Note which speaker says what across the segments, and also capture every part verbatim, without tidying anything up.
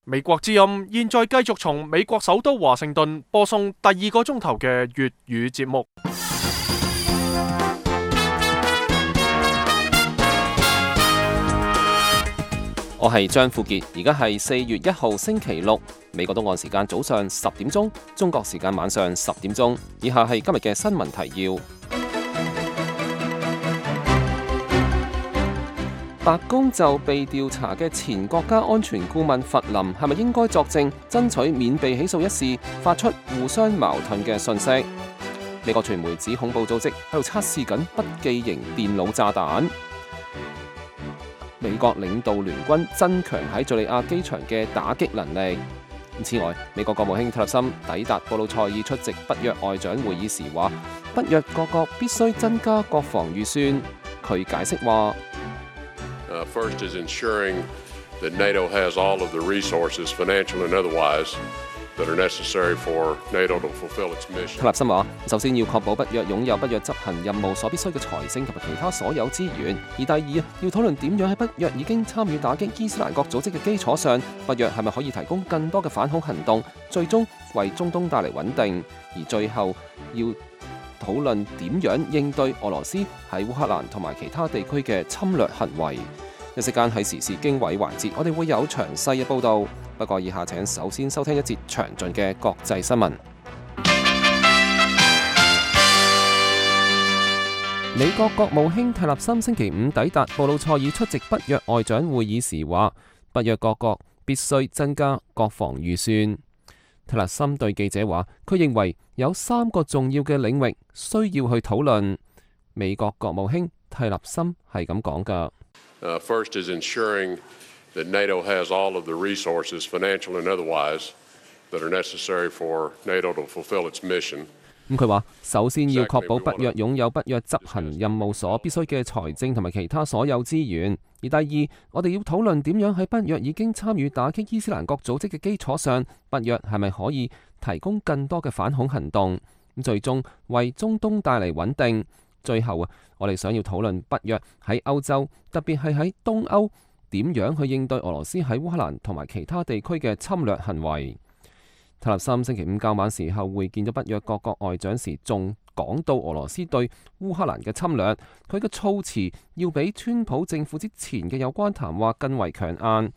Speaker 1: 美國之音現在繼續從美國首都華盛頓播送第二個鐘頭嘅粵語節目。
Speaker 2: 我係張富傑，而家係四月一號星期六，美國東岸時間早上十點鐘，中國時間晚上十點鐘。以下係今日嘅新聞提要。白宮就被調查嘅前國家安全顧問弗林係咪應該作證，爭取免被起訴一事，發出互相矛盾嘅訊息。美國傳媒指恐怖組織喺度測試緊筆記型電腦炸彈。美國領導聯軍增強喺敘利亞機場嘅打擊能力。此外，美國國務卿特勒森抵達布魯塞爾出席北約外長會議時話，北約各國必須增加國防預算。佢解釋話
Speaker 3: Uh, first is ensuring that NATO has all of the resources, financial and otherwise, that are necessary for NATO to fulfill its mission.
Speaker 2: 特勒森話：首先要確保北約擁有北約執行任務所必須嘅財政同埋其他所有資源；而第二，要討論點樣喺北約已經參與打擊伊斯蘭國組織嘅基礎上，北約係咪可以提供更多嘅反恐行動，最終為中東帶嚟穩定；而最後要討論點樣應對俄羅斯喺烏克蘭同埋其他地區嘅侵略行為。一時間喺時事經緯環節，我哋會有詳細嘅報導。不過以下請首先收聽一節詳盡嘅國際新聞。美國國務卿特勒森星期五抵達布魯塞爾出席北約外長會議時話，北約各國必須增加國防預算。特勒森對記者話，佢認為有三個重要嘅領域需要去討論。美國國務卿特勒森係咁講㗎。
Speaker 3: Uh, first is ensuring that NATO has all of the resources, financial and otherwise, that are necessary for NATO to fulfill its mission.
Speaker 2: 咁佢話，首先要確保北約擁有北約執行任務所必須嘅財政同埋其他所有資源；而第二，我哋要討論點樣喺北約已經參與打擊伊斯蘭國組織嘅基礎上，北約係咪可以提供更多嘅反恐行動，咁最終為中東帶嚟穩定。最後啊，我哋想要討論北約喺歐洲，特別係喺東歐，點樣去應對俄羅斯喺烏克蘭同埋其他地區嘅侵略行為。特勒森星期五較晚時候會見咗北約各國外長時，仲講到俄羅斯對烏克蘭嘅侵略，佢嘅措辭要比川普政府之前嘅有關談話更為強硬。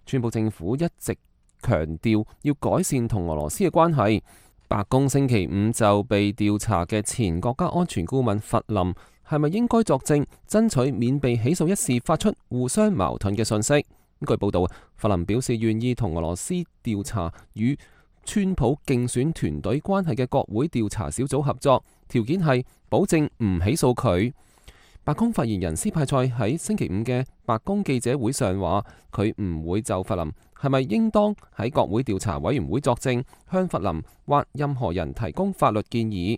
Speaker 2: 川普政府一直強調要改善同俄羅斯嘅關係。白宮星期五就被調查嘅前國家安全顧問弗林係咪應該作證，爭取免被起訴一事，發出互相矛盾嘅訊息。據報道，弗林表示願意同俄羅斯調查與川普競選團隊關係嘅國會調查小組合作，條件係保證唔起訴佢。白宮發言人斯派塞喺星期五嘅白宮記者會上話，佢唔會就弗林係咪應當喺國會調查委員會作證，向弗林或任何人提供法律建議。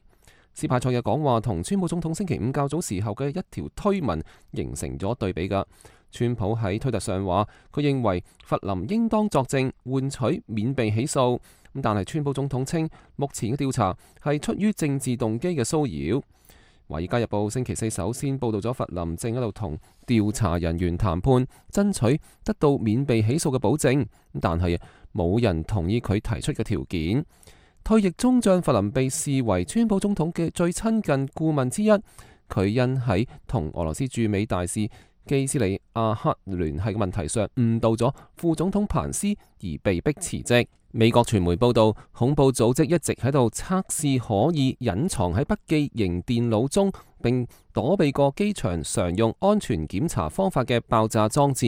Speaker 2: 斯派塞嘅講話同川普總統星期五較早時候嘅一條推文形成咗對比㗎。川普喺推特上話，佢認為弗林應當作證，換取免被起訴。但係川普總統稱，目前嘅調查係出於政治動機嘅騷擾。《華爾街日報》星期四首先報道咗弗林正喺度同調查人員談判，爭取得到免被起訴嘅保證，但係冇人同意佢提出嘅條件。退役中將弗林被視為川普總統嘅最親近顧問之一，佢因喺同俄羅斯駐美大使基斯里亞克聯繫嘅問題上誤導咗副總統彭斯而被迫辭職。美國傳媒報道，恐怖組織一直喺度測試可以隱藏喺筆記型電腦中並躲避過機場常用安全檢查方法嘅爆炸裝置。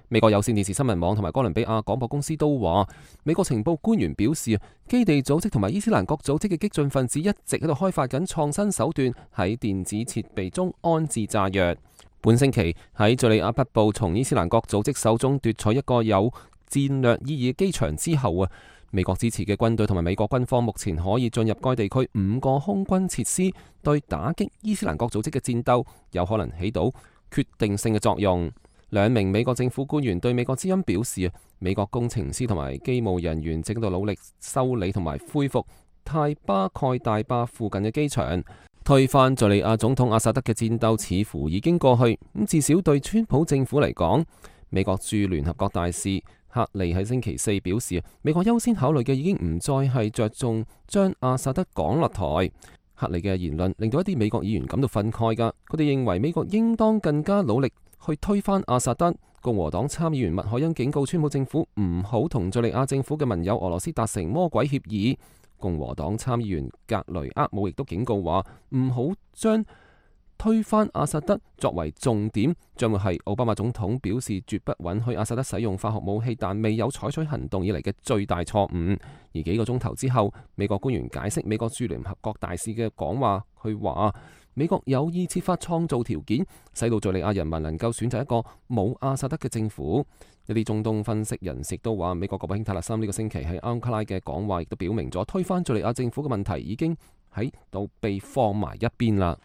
Speaker 2: 美國有線電視新聞網同埋哥倫比亞廣播公司都話，美國情報官員表示，基地組織同埋伊斯蘭國組織嘅激進分子一直喺度開發緊創新手段，喺電子設備中安置炸藥。本星期喺敘利亞北部從伊斯蘭國組織手中奪取一個有戰略意義嘅機場之後啊，美國支持嘅軍隊同埋美國軍方目前可以進入該地區五個空軍設施，對打擊伊斯蘭國組織嘅戰鬥有可能起到決定性嘅作用。兩名美國政府官員對美國之音表示啊，美國工程師同埋機務人員正喺度努力修理同埋恢復泰巴蓋大壩附近嘅機場。推翻敘利亞總統阿薩德嘅戰鬥似乎已經過去，咁至少對川普政府嚟講，美國駐聯合國大使克利喺星期四表示，美國優先考慮嘅已經唔再係着重將阿薩德趕落台。克利嘅言論令到一啲美國議員感到憤慨㗎，佢哋認為美國應當更加努力去推翻阿薩德。共和黨參議員麥凱恩警告川普政府唔好同敘利亞政府嘅盟友俄羅斯達成魔鬼協議。共和黨參議員格雷厄姆亦都警告話唔好將推翻阿薩德作為重點，將會係奧巴馬總統表示絕不允許阿薩德使用化學武器，但未有採取行動以嚟嘅最大錯誤。而幾個鐘頭之後，美國官員解釋美國駐聯合國大使嘅講話，佢話美國有意設法創造條件，使到敘利亞人民能夠選擇一個冇阿薩德嘅政府。一啲中東分析人士亦都話，美國國務卿塔勒森呢個星期喺安卡拉嘅講話，亦都表明咗推翻敘利亞政府嘅問題已經喺度被放埋一邊啦。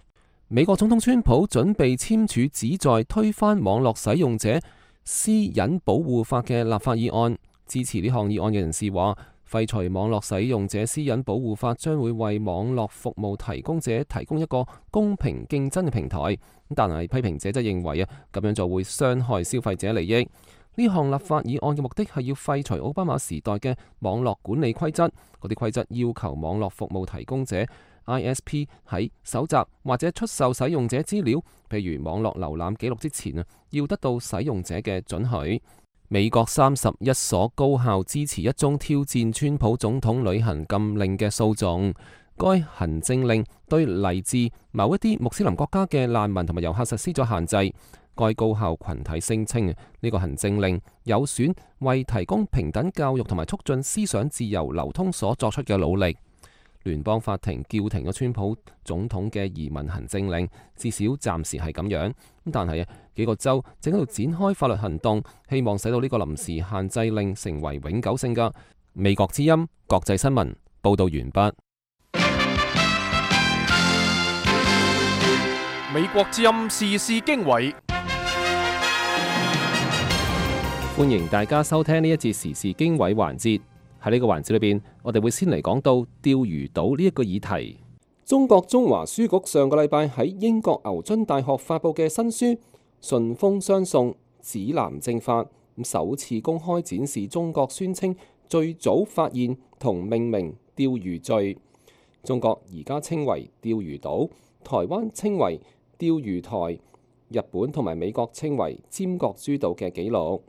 Speaker 2: 美國總統川普準備簽署旨在推翻網絡使用者私隱保護法嘅立法議案。支持呢項議案嘅人士話，廢除網絡使用者私隱保護法將會為網絡服務提供者提供一個公平競爭嘅平台。但係批評者則認為啊，咁樣就會傷害消費者利益。呢項立法議案嘅目的係要廢除奧巴馬時代嘅網絡管理規則，嗰啲規則要求網絡服務提供者 I S P 喺搜集或者出售使用者資料，譬如網絡瀏覽記錄之前啊，要得到使用者嘅准許。美國三十一所高校支持一宗挑戰川普總統旅行禁令嘅訴訟，該行政令對嚟自某一啲穆斯林國家嘅難民同埋遊客實施咗限制。該高校群體聲稱呢個行政令有損為提供平等教育同埋促進思想自由流通所作出嘅努力。聯邦法庭叫停咗川普總統嘅移民行政令，至少暫時係咁樣。但係啊，幾個州正喺度展開法律行動，希望使到呢個臨時限制令成為永久性㗎。美國之音國際新聞報道完畢。
Speaker 1: 美國之音時事經緯，
Speaker 2: 歡迎大家收聽呢一節時事經緯環節。喺呢個環節裏邊，我哋會先嚟講到釣魚島呢一個議題。中國中華書局上個禮拜喺英國牛津大學發佈嘅新書《順風相送：指南政法》，首次公開展示中國宣稱最早發現同命名釣魚罪。中國而家稱為釣魚島，台灣稱為釣魚台，日本同埋美國稱為尖閣諸島嘅紀錄。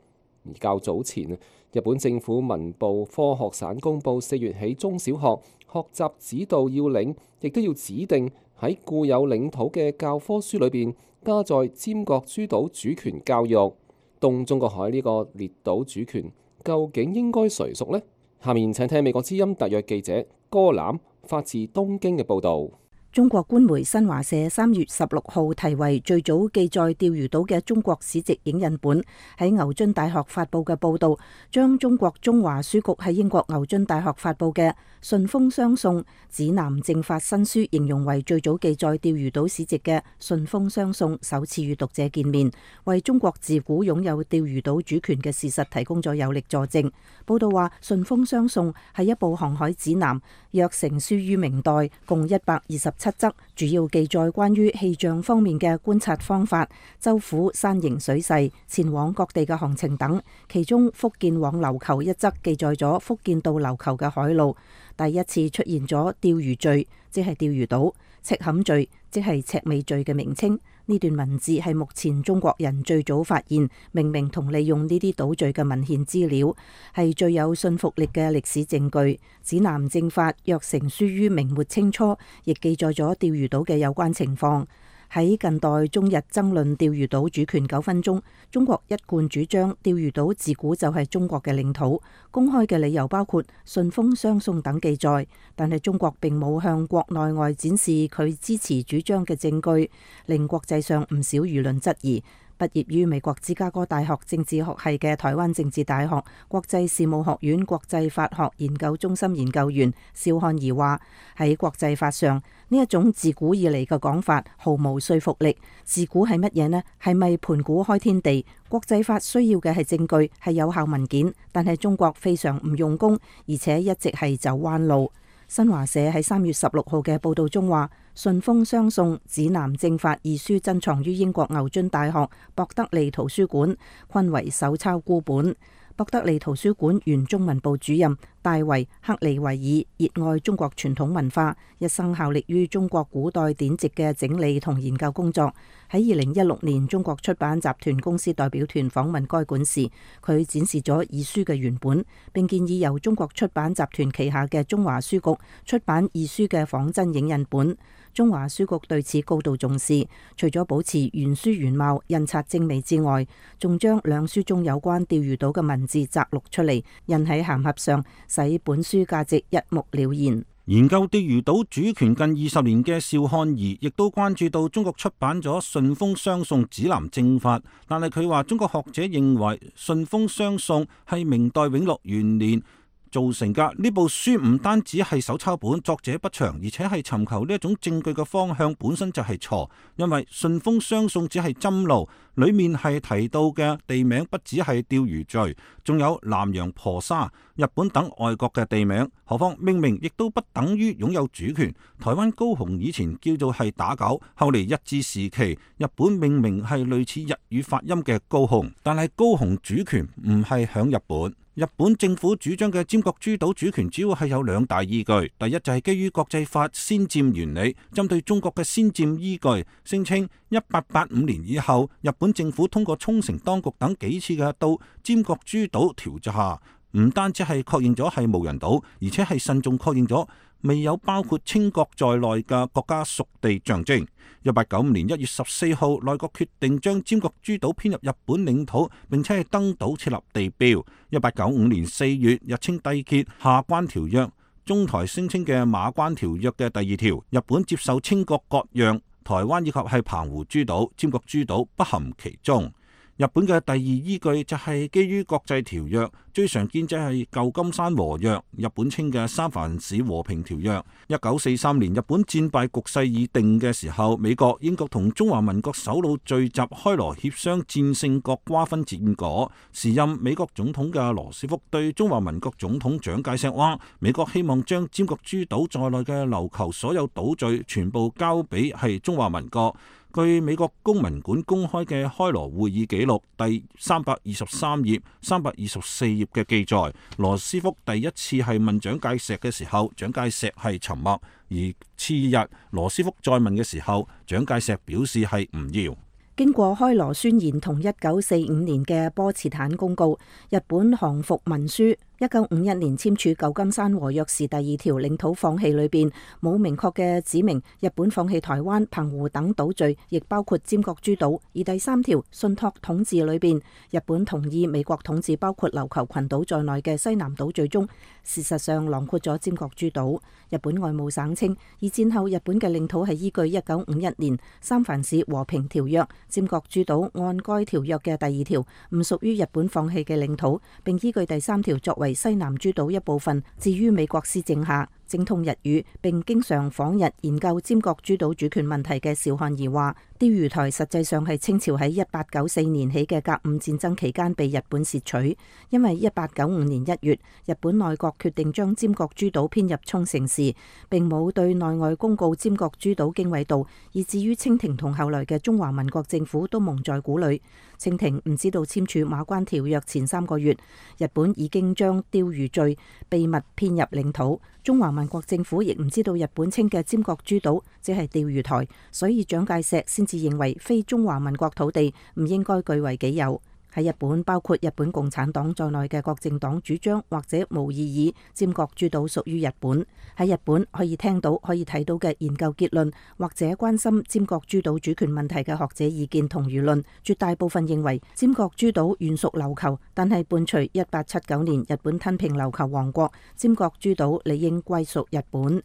Speaker 2: 而較早前，日本政府文部科學省公佈四月起中小學學習指導要領，亦都要指定喺固有領土嘅教科書裏邊加載尖閣諸島主權教育。東中國海呢個列島主權究竟應該誰屬呢？下面請聽美國之音特約記者戈欖發自東京嘅報導。
Speaker 4: 中國官媒新華社三月十六號題為最早記載釣魚島嘅中國史籍影印本喺牛津大學發佈嘅報導，將中國中華書局喺英國牛津大學發佈嘅《順風相送：指南政法》新書形容為最早記載釣魚島史籍嘅《順風相送》首次與讀者見面，為中國自古擁有釣魚島主權嘅事實提供咗有力佐證。報導話，《順風相送》係一部航海指南，約成書於明代，共一百二十七則，主要記載關於氣象方面嘅觀察方法、州府山形水勢、前往各地嘅行程等。其中福建往琉球一則記載咗福建到琉球嘅海路。第一次出現咗釣魚罪，即係釣魚島；赤坎罪，即係赤尾罪嘅名稱。呢段文字係目前中國人最早發現、命名同利用呢啲島嶼嘅文獻資料，係最有信服力嘅歷史證據。指南政法約成書於明末清初，亦記載咗釣魚島嘅有關情況。喺近代中日爭論釣魚島主權糾紛中，中國一貫主張釣魚島自古就係中國嘅領土。公開嘅理由包括順風相送等記載，但係中國並冇向國內外展示佢支持主張嘅證據，令國際上唔少輿論質疑。畢業於美國芝加哥大學政治學系嘅台灣政治大學國際事務學院國際法學研究中心研究員蕭漢儀話：喺國際法上，呢一種自古以嚟嘅講法毫無說服力。自古係乜嘢呢？係咪盤古開天地？國際法需要嘅係證據，係有效文件，但係中國非常唔用功，而且一直係走彎路。新華社喺三月十六號嘅報道中話，《順風相送：指南政法》二書珍藏於英國牛津大學博德利圖書館，均為手抄孤本。博德利圖書館原中文部主任大衛克利維爾熱愛中國傳統文化，一生效力於中國古代典籍嘅整理同研究工作。喺二零一六年，中國出版集團公司代表團訪問該館時，佢展示咗二書嘅原本，並建議由中國出版集團旗下嘅中華書局出版二書嘅仿真影印本。中華書局對此高度重視，除咗保持原書原貌、印刷精美之外，仲將兩書中有關釣魚島嘅文字摘錄出嚟，印喺函盒上，使本書價值一目了然。
Speaker 5: 研究釣魚島主權近二十年嘅邵漢儀亦都關注到中國出版咗《順豐雙宋指南正法》，但係佢話中國學者認為《順豐雙宋》係明代永樂元年造成噶，呢部書唔單止係手抄本，作者不詳，而且係尋求呢一種證據嘅方向本身就係錯，因為順豐雙宋只係針路，裏面係提到嘅地名不只係釣魚嶼，仲有南洋婆沙、日本等外國嘅地名，何況命名亦都不等於擁有主權。台灣高雄以前叫做係打狗，後嚟日治時期日本命名係類似日語發音嘅高雄，但係高雄主權唔係響日本。日本政府主張嘅尖閣諸島主權主要係有兩大依據，第一就係基於國際法先佔原理，針對中國嘅先佔依據，聲稱一八八五年以後，日本政府通過沖繩當局等幾次嘅到尖閣諸島調查，唔單止係確認咗係無人島，而且係慎重確認咗未有包括清國在內嘅國家屬地象徵。一八九五年一月十四號，內閣決定將尖閣諸島編入日本領土，並且係登島設立地標。一八九五年四月，日清締結下關條約，中台聲稱嘅馬關條約嘅第二條，日本接受清國割讓台灣以及係澎湖諸島，尖閣諸島不含其中。日本嘅第二依據就係基於國際條約，最常見就係舊金山和約，日本稱嘅三藩市和平條約。一九四三年日本戰敗局勢已定嘅時候，美國、英國同中華民國首腦聚集開羅協商戰勝國瓜分戰果。時任美國總統嘅羅斯福對中華民國總統蔣介石話：美國希望將尖閣諸島在內嘅琉球所有島嶼全部交俾係中華民國。據美國公民館公開嘅開羅會議記錄第三百二十三頁、三百二十四頁嘅記載，羅斯福第一次係問蔣介石嘅時候，蔣介石係沉默；而次日羅斯福再問嘅時候，蔣介石表示係唔要。
Speaker 4: 經過開羅宣言同一九四五年嘅波茨坦公告，日本降服文書一九五一年簽署舊金山和約時第二條領土放棄裏邊冇明確嘅指明日本放棄台灣、澎湖等島嶼，亦包括尖閣諸島。而第三條信託統治裏邊，日本同意美國統治包括琉球群島在內嘅西南島嶼中，事實上囊括咗尖閣諸島。日本外務省稱，二戰後日本嘅領土係依據一九五一年三藩市和平條約，尖閣諸島按該條約嘅第二條唔屬於日本放棄嘅領土，並依據第三條作為西南諸島一部分，置於美國施政下。精通日語並經常訪日研究尖閣諸島主權問題嘅邵漢儀話，釣魚台實際上係清朝喺一八九四年起嘅甲午戰爭期間被日本竊取，因為一八九五年一月日本內閣決定將尖閣諸島編入沖繩時，並冇對內外公告尖閣諸島經緯度，以至於清廷同後來嘅中華民國政府都蒙在鼓裏。清廷唔知道簽署馬關條約前三個月，日本已經將釣魚嶼秘密編入領土。中華民國政府亦唔知道日本稱嘅尖閣諸島只係釣魚台，所以蔣介石先至認為非中華民國土地唔應該據為己有。喺日本，包括日本共產黨在內嘅各政黨主張或者無異議尖閣諸島屬於日本。喺日本可以聽到、可以睇到嘅研究結論，或者關心尖閣諸島主權問題嘅學者意見同輿論，絕大部分認為尖閣諸島原屬琉球，但係伴隨一八七九年日本吞併琉球王國，尖閣諸島理應歸屬日本。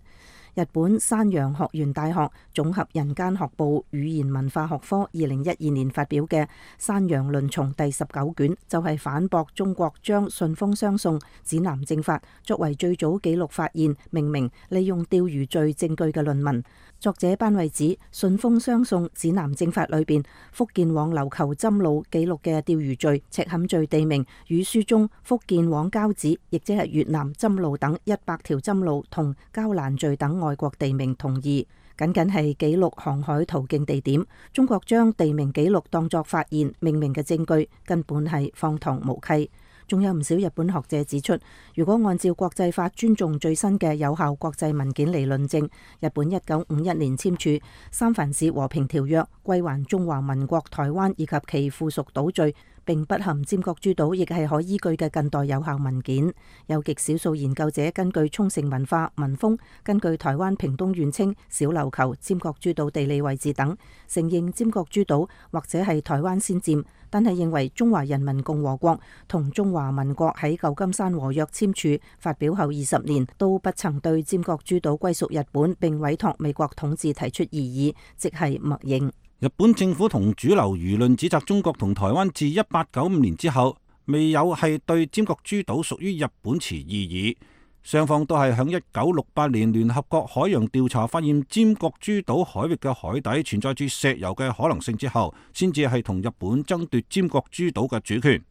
Speaker 4: 日本山陽學園大學綜合人間學部語言文化學科二零一二年發表嘅《山陽論叢》第十九卷，就係、是、反駁中國將順豐雙宋指南正法作為最早記錄發現、命名、利用釣魚嶼證據嘅論文。作者班惠指，順豐雙宋指南正法裏邊福建往琉球針路記錄嘅釣魚嶼、赤崁嶼地名，與書中福建往交趾，亦即係越南針路等一百條針路同交蘭嶼等外國地名同義，僅僅係記錄航海途徑地點。中國將地名記錄當作發現、命名嘅證據，根本係荒唐無稽。仲有唔少日本學者指出，如果按照國際法尊重最新嘅有效國際文件嚟論證，日本一九五一年簽署《三藩市和平條約》，歸還中華民國台灣以及其附屬島嶼，並不含尖閣諸島，亦係可依據嘅近代有效文件。有極少數研究者根據沖繩文化文風，根據台灣屏東縣稱小琉球、尖閣諸島地理位置等，承認尖閣諸島或者係台灣先佔，但係認為中華人民共和國同中華民國喺舊金山和約簽署發表後二十年，都不曾對尖閣諸島歸屬日本並委託美國統治提出異議，即係默認。
Speaker 5: 日本政府同主流輿論指責中國同台灣自一八九五年之後未有係對尖閣諸島屬於日本持異議，雙方都係響一九六八年聯合國海洋調查發現尖閣諸島海域嘅海底存在住石油嘅可能性之後，先至係同日本爭奪尖閣諸島嘅主權。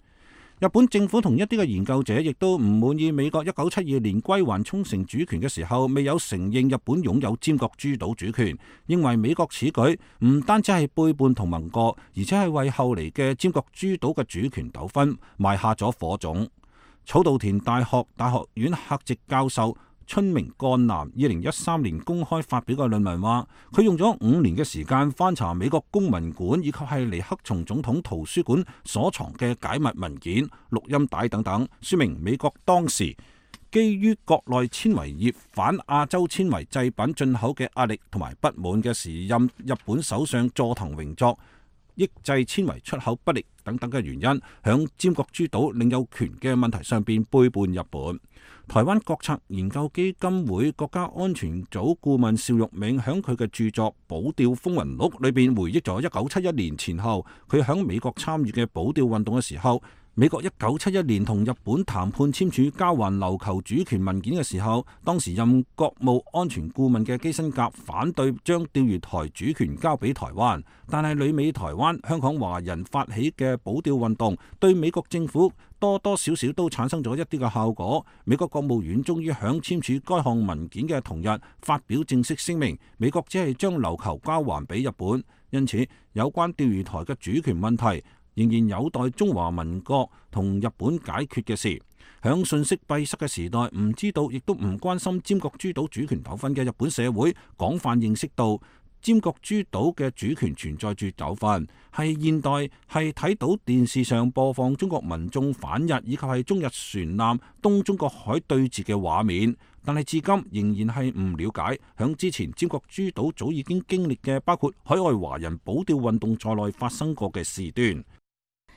Speaker 5: 日本政府同一啲嘅研究者亦都唔滿意美國一九七二年歸還沖繩主權嘅時候未有承認日本擁有尖閣諸島主權，認為美國此舉唔單止係背叛同盟國，而且係為後嚟嘅尖閣諸島嘅主權糾紛埋下咗火種。草稻田大學大學院客席教授春明幹男二零一三年公開發表嘅論文話，佢用咗五年嘅時間翻查美國公民館以及係尼克松總統圖書館所藏嘅解密文件、錄音帶等等，說明美國當時基於國內纖維業反亞洲纖維製品進口嘅壓力同埋不滿嘅時任日本首相佐藤榮作抑制纖維出口不力等等嘅原因，響尖閣諸島領有權嘅問題上邊背叛日本。台灣國策研究基金會國家安全組顧問邵玉銘響佢嘅著作《保釣風雲錄》裏邊回憶咗一九七一年前後佢響美國參與嘅保釣運動嘅時候，美國一九七一年同日本談判簽署交還琉球主權文件嘅時候，當時任國務安全顧問嘅基辛格反對將釣魚台主權交俾台灣，但係旅美台灣香港華人發起嘅保釣運動對美國政府多多少少都產生咗一啲嘅效果。美國國務院終於響簽署該項文件嘅同日發表正式聲明，美國只係將琉球交還俾日本，因此有關釣魚台嘅主權問題仍然有待中華民國同日本解決嘅事。響信息閉塞嘅時代，唔知道亦都唔關心尖閣諸島主權糾紛嘅日本社會廣泛認識到尖閣諸島嘅主權存在住糾紛，係現代係睇到電視上播放中國民眾反日以及係中日船艦東中國海對峙嘅畫面，但係至今仍然係唔了解響之前尖閣諸島早已經經歷嘅包括海外華人保釣運動在內發生過嘅事端。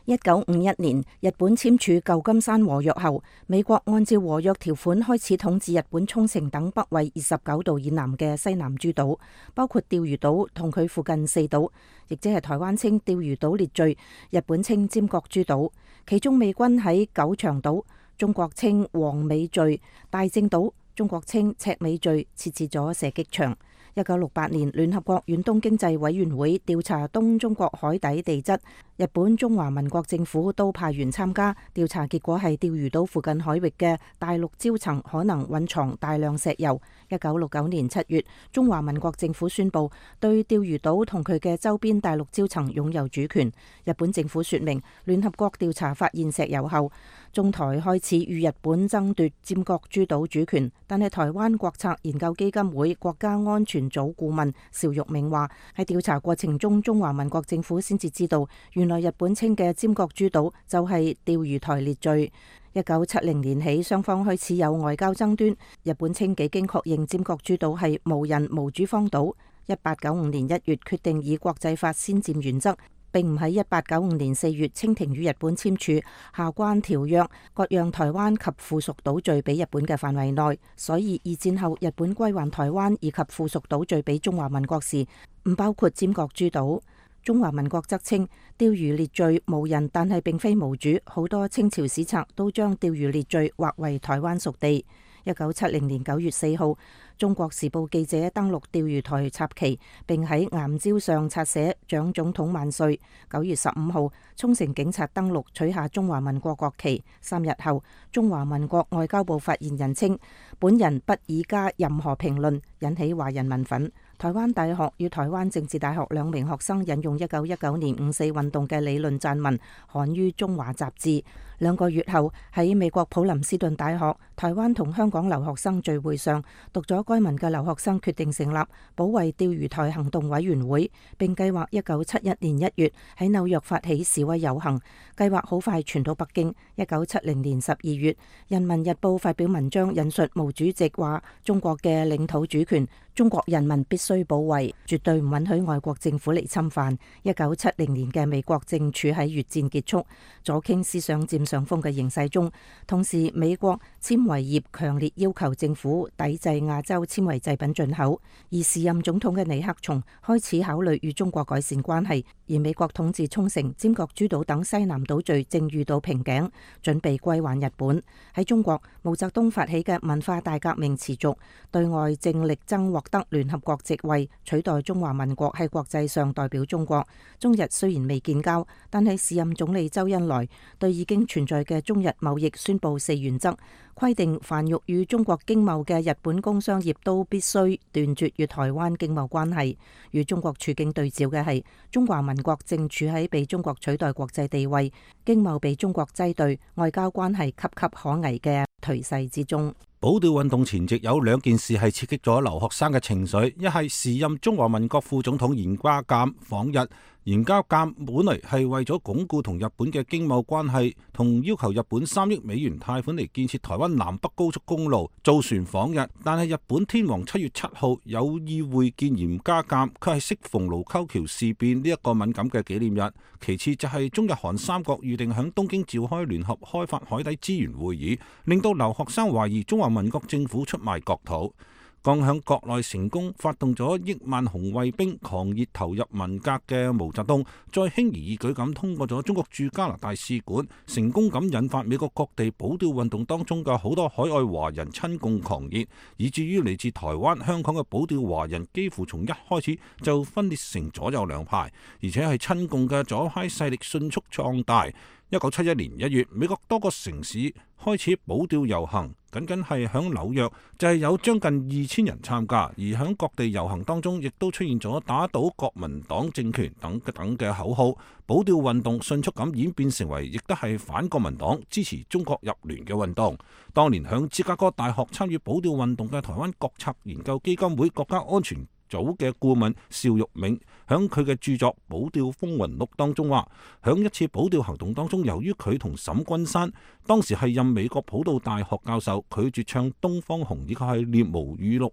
Speaker 4: 一九五一年，日本簽署舊金山和約後，美國按照和約條款開始統治日本沖繩等北緯二十九度以南嘅西南諸島，包括釣魚島同佢附近四島，亦即係台灣稱釣魚島列嶼，日本稱尖閣諸島。其中美軍喺九長島，中國稱黃尾嶼、大正島，中國稱赤尾嶼設置咗射擊場。一九六八年，聯合國遠東經濟委員會調查東中國海底地質，日本中華民國政府都派員參加調查，結果係釣魚島附近海域嘅大陸礁層可能蘊藏大量石油。一九六九年七月，中華民國政府宣布對釣魚島同佢嘅周邊大陸礁層擁有主權。日本政府說明，聯合國調查發現石油後，中台開始與日本爭奪尖閣諸島主權，但係台灣國策研究基金會國家安全組顧問邵玉銘話，喺調查過程中，中華民國政府先至知道，原來日本稱嘅尖閣諸島就係釣魚台列嶼。一九七零年起，雙方開始有外交爭端。日本稱幾經確認尖閣諸島係無人無主荒島。一八九五年一月決定以國際法先佔原則，並唔喺一八九五年四月清廷與日本簽署下關條約，割讓台灣及附屬島嶼俾日本嘅範圍內。所以二戰後日本歸還台灣以及附屬島嶼俾中華民國時，唔包括尖閣諸島。中華民國則稱釣魚列嶼無人，但係並非無主。好多清朝史冊都將釣魚列嶼劃為台灣屬地。一九七零年九月四號，中國時報記者登陸釣魚台插旗，並喺岩礁上擦寫蔣總統萬歲。九月十五號，沖繩警察登陸取下中華民國國旗。三日後，中華民國外交部發言人稱，本人不以加任何評論，引起華人民憤。台灣大學與台灣政治大學兩名學生引用一九一九年五四運動嘅理論撰文，刊於中華雜誌。兩個月後喺美國普林斯頓大學台灣同香港留學生聚會上，讀咗該文嘅留學生決定成立保衛釣魚台行動委員會，並計劃一九七一年一月喺紐約發起示威遊行，計劃好快傳到北京。一九七零年十二月，《人民日報》發表文章引述毛主席話：中國嘅領土主權，中國人民必須保衛，絕對唔允許外國政府嚟侵犯。一九七零年嘅美國正處喺越戰結束、左傾思想佔上風嘅形勢中，同時美國纖維業強烈要求政府抵制亞洲纖維製品進口，而時任總統嘅尼克松開始考慮與中國改善關係，而美國統治沖繩、尖閣諸島等西南島嶼正遇到瓶頸，準備歸還日本。喺中國，毛澤東發起嘅文化大革命持續，對外正力爭獲得聯合國席位，取代中華民國喺國際上代表中國。中日雖然未建交，但係時任總理周恩來對已經存在嘅中日貿易宣布四原則，規定凡欲與中國經貿嘅日本工商業都必須斷絕與台灣經貿關係。與中國處境對照嘅係，中華民國正處喺被中國取代國際地位、經貿被中國擠兌、外交關係岌岌可危嘅頹勢之中。
Speaker 5: 保釣運動前夕有兩件事係刺激咗留學生嘅情緒，一係時任中華民國副總統嚴家淦訪日。嚴家淦本嚟係為咗鞏固同日本嘅經貿關係，同要求日本三億美元貸款嚟建設台灣南北高速公路，造船訪日。但係日本天皇七月七號有意會見嚴家淦，佢係適逢盧溝橋事變呢一個敏感嘅紀念日。其次就係中日韓三國預定響東京召開聯合開發海底資源會議，令到留學生懷疑中華民國政府出賣國土。剛響國內成功發動咗億萬紅衛兵狂熱投入文革嘅毛澤東，再輕而易舉咁通過咗中國駐加拿大使館，成功咁引發美國各地保釣運動當中嘅好多海外華人親共狂熱，以至於嚟自台灣、香港嘅保釣華人幾乎從一開始就分裂成左右兩派，而且係親共嘅左派勢力迅速壯大。一九七一年一月，美國多個城市開始保釣遊行，僅僅係響紐約就係有將近二千人參加，而響各地遊行當中，亦都出現咗打倒國民黨政權等等嘅口號。保釣運動迅速咁演變成為，亦都係反國民黨、支持中國入聯嘅運動。當年響芝加哥大學參與保釣運動嘅台灣國策研究基金會國家安全組嘅顧問邵玉銘響佢嘅著作《保釣風雲錄》當中話，響一次保釣行動當中，由於佢同沈君山當時係任美國普渡大學教授，拒絕唱《東方紅》呢個係念毛語錄，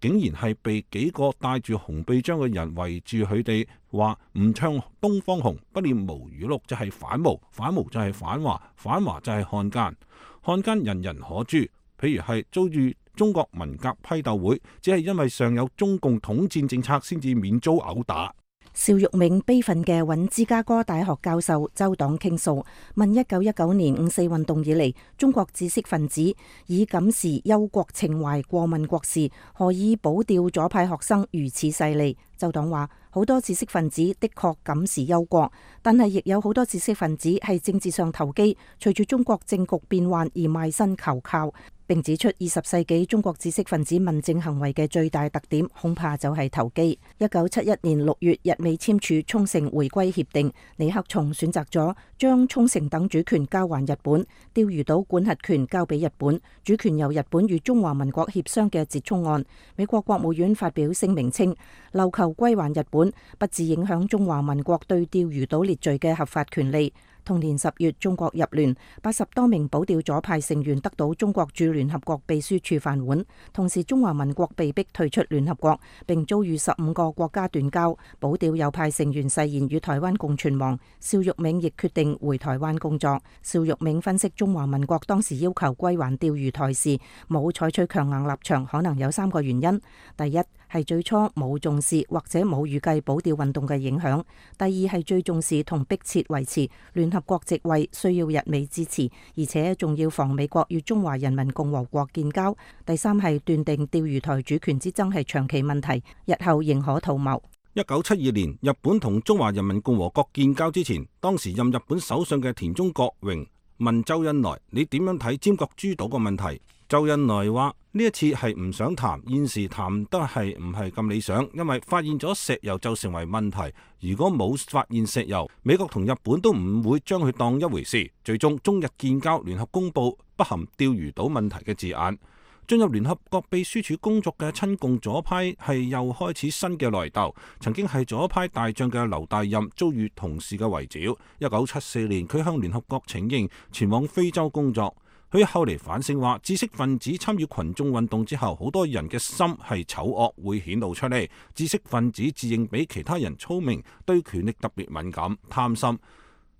Speaker 5: 竟然係被幾個帶住紅臂章嘅人圍住佢哋，話唔唱《東方紅》不念毛語錄就係反毛，反毛就係反華，反華就係漢奸，漢奸人人可誅。譬如係遭遇中國文革批鬥會，只係因為上有中共統戰政策，先至免遭毆打。
Speaker 4: 邵玉銘悲憤嘅揾芝加哥大學教授周黨傾訴，問一九一九年五四運動以嚟，中國知識分子以感時憂國情懷過問國事，何以保釣左派學生如此勢利？周黨話：好多知識分子的確感時憂國，但係亦有好多知識分子係政治上投機，隨住中國政局變幻而賣身求靠。並指出，二十世紀中國知識分子問政行為嘅最大特點，恐怕就係投機。一九七一年六月，日美簽署沖繩回歸協定，尼克松選擇咗將沖繩等主權交還日本，釣魚島管轄權交俾日本，主權由日本與中華民國協商嘅折衷案。美國國務院發表聲明稱，琉球歸還日本，不致影響中華民國對釣魚島列嶼嘅合法權利。同年十月，中國入聯，八十多名保釣左派成員得到中國駐聯合國秘書處飯碗。同時，中華民國被逼退出聯合國，並遭遇十五個國家斷交。保釣右派成員誓言與台灣共存亡。邵玉銘亦決定回台灣工作。邵玉銘分析，中華民國當時要求歸還釣魚台時，冇採取強硬立場，可能有三個原因：第一，係最初冇重視或者冇預計保釣運動嘅影響；第二，係最重視同迫切維持聯合國席位，需要日美支持，而且仲要防美國與中華人民共和國建交；第三，係斷定釣魚台主權之爭係長期問題，日後仍可圖謀。
Speaker 5: 一九七二年，日本同中華人民共和國建交之前，當時任日本首相嘅田中角榮問周恩來：你點樣睇尖閣諸島個問題？周恩來話：呢一次係唔想談，現時談得係唔係咁理想，因為發現咗石油就成為問題。如果冇發現石油，美國同日本都唔會將佢當一回事。最終中日建交，聯合公佈不含釣魚島問題嘅字眼。進入聯合國秘書處工作嘅親共左派係又開始新嘅來鬥。曾經係左派大將嘅劉大任遭遇同事嘅圍剿。一九七四年，佢向聯合國請纓，前往非洲工作。佢後嚟反省話，知識分子參與群眾運動之後，好多人嘅心係醜惡，會顯露出嚟。知識分子自認比其他人聰明，對權力特別敏感、貪心，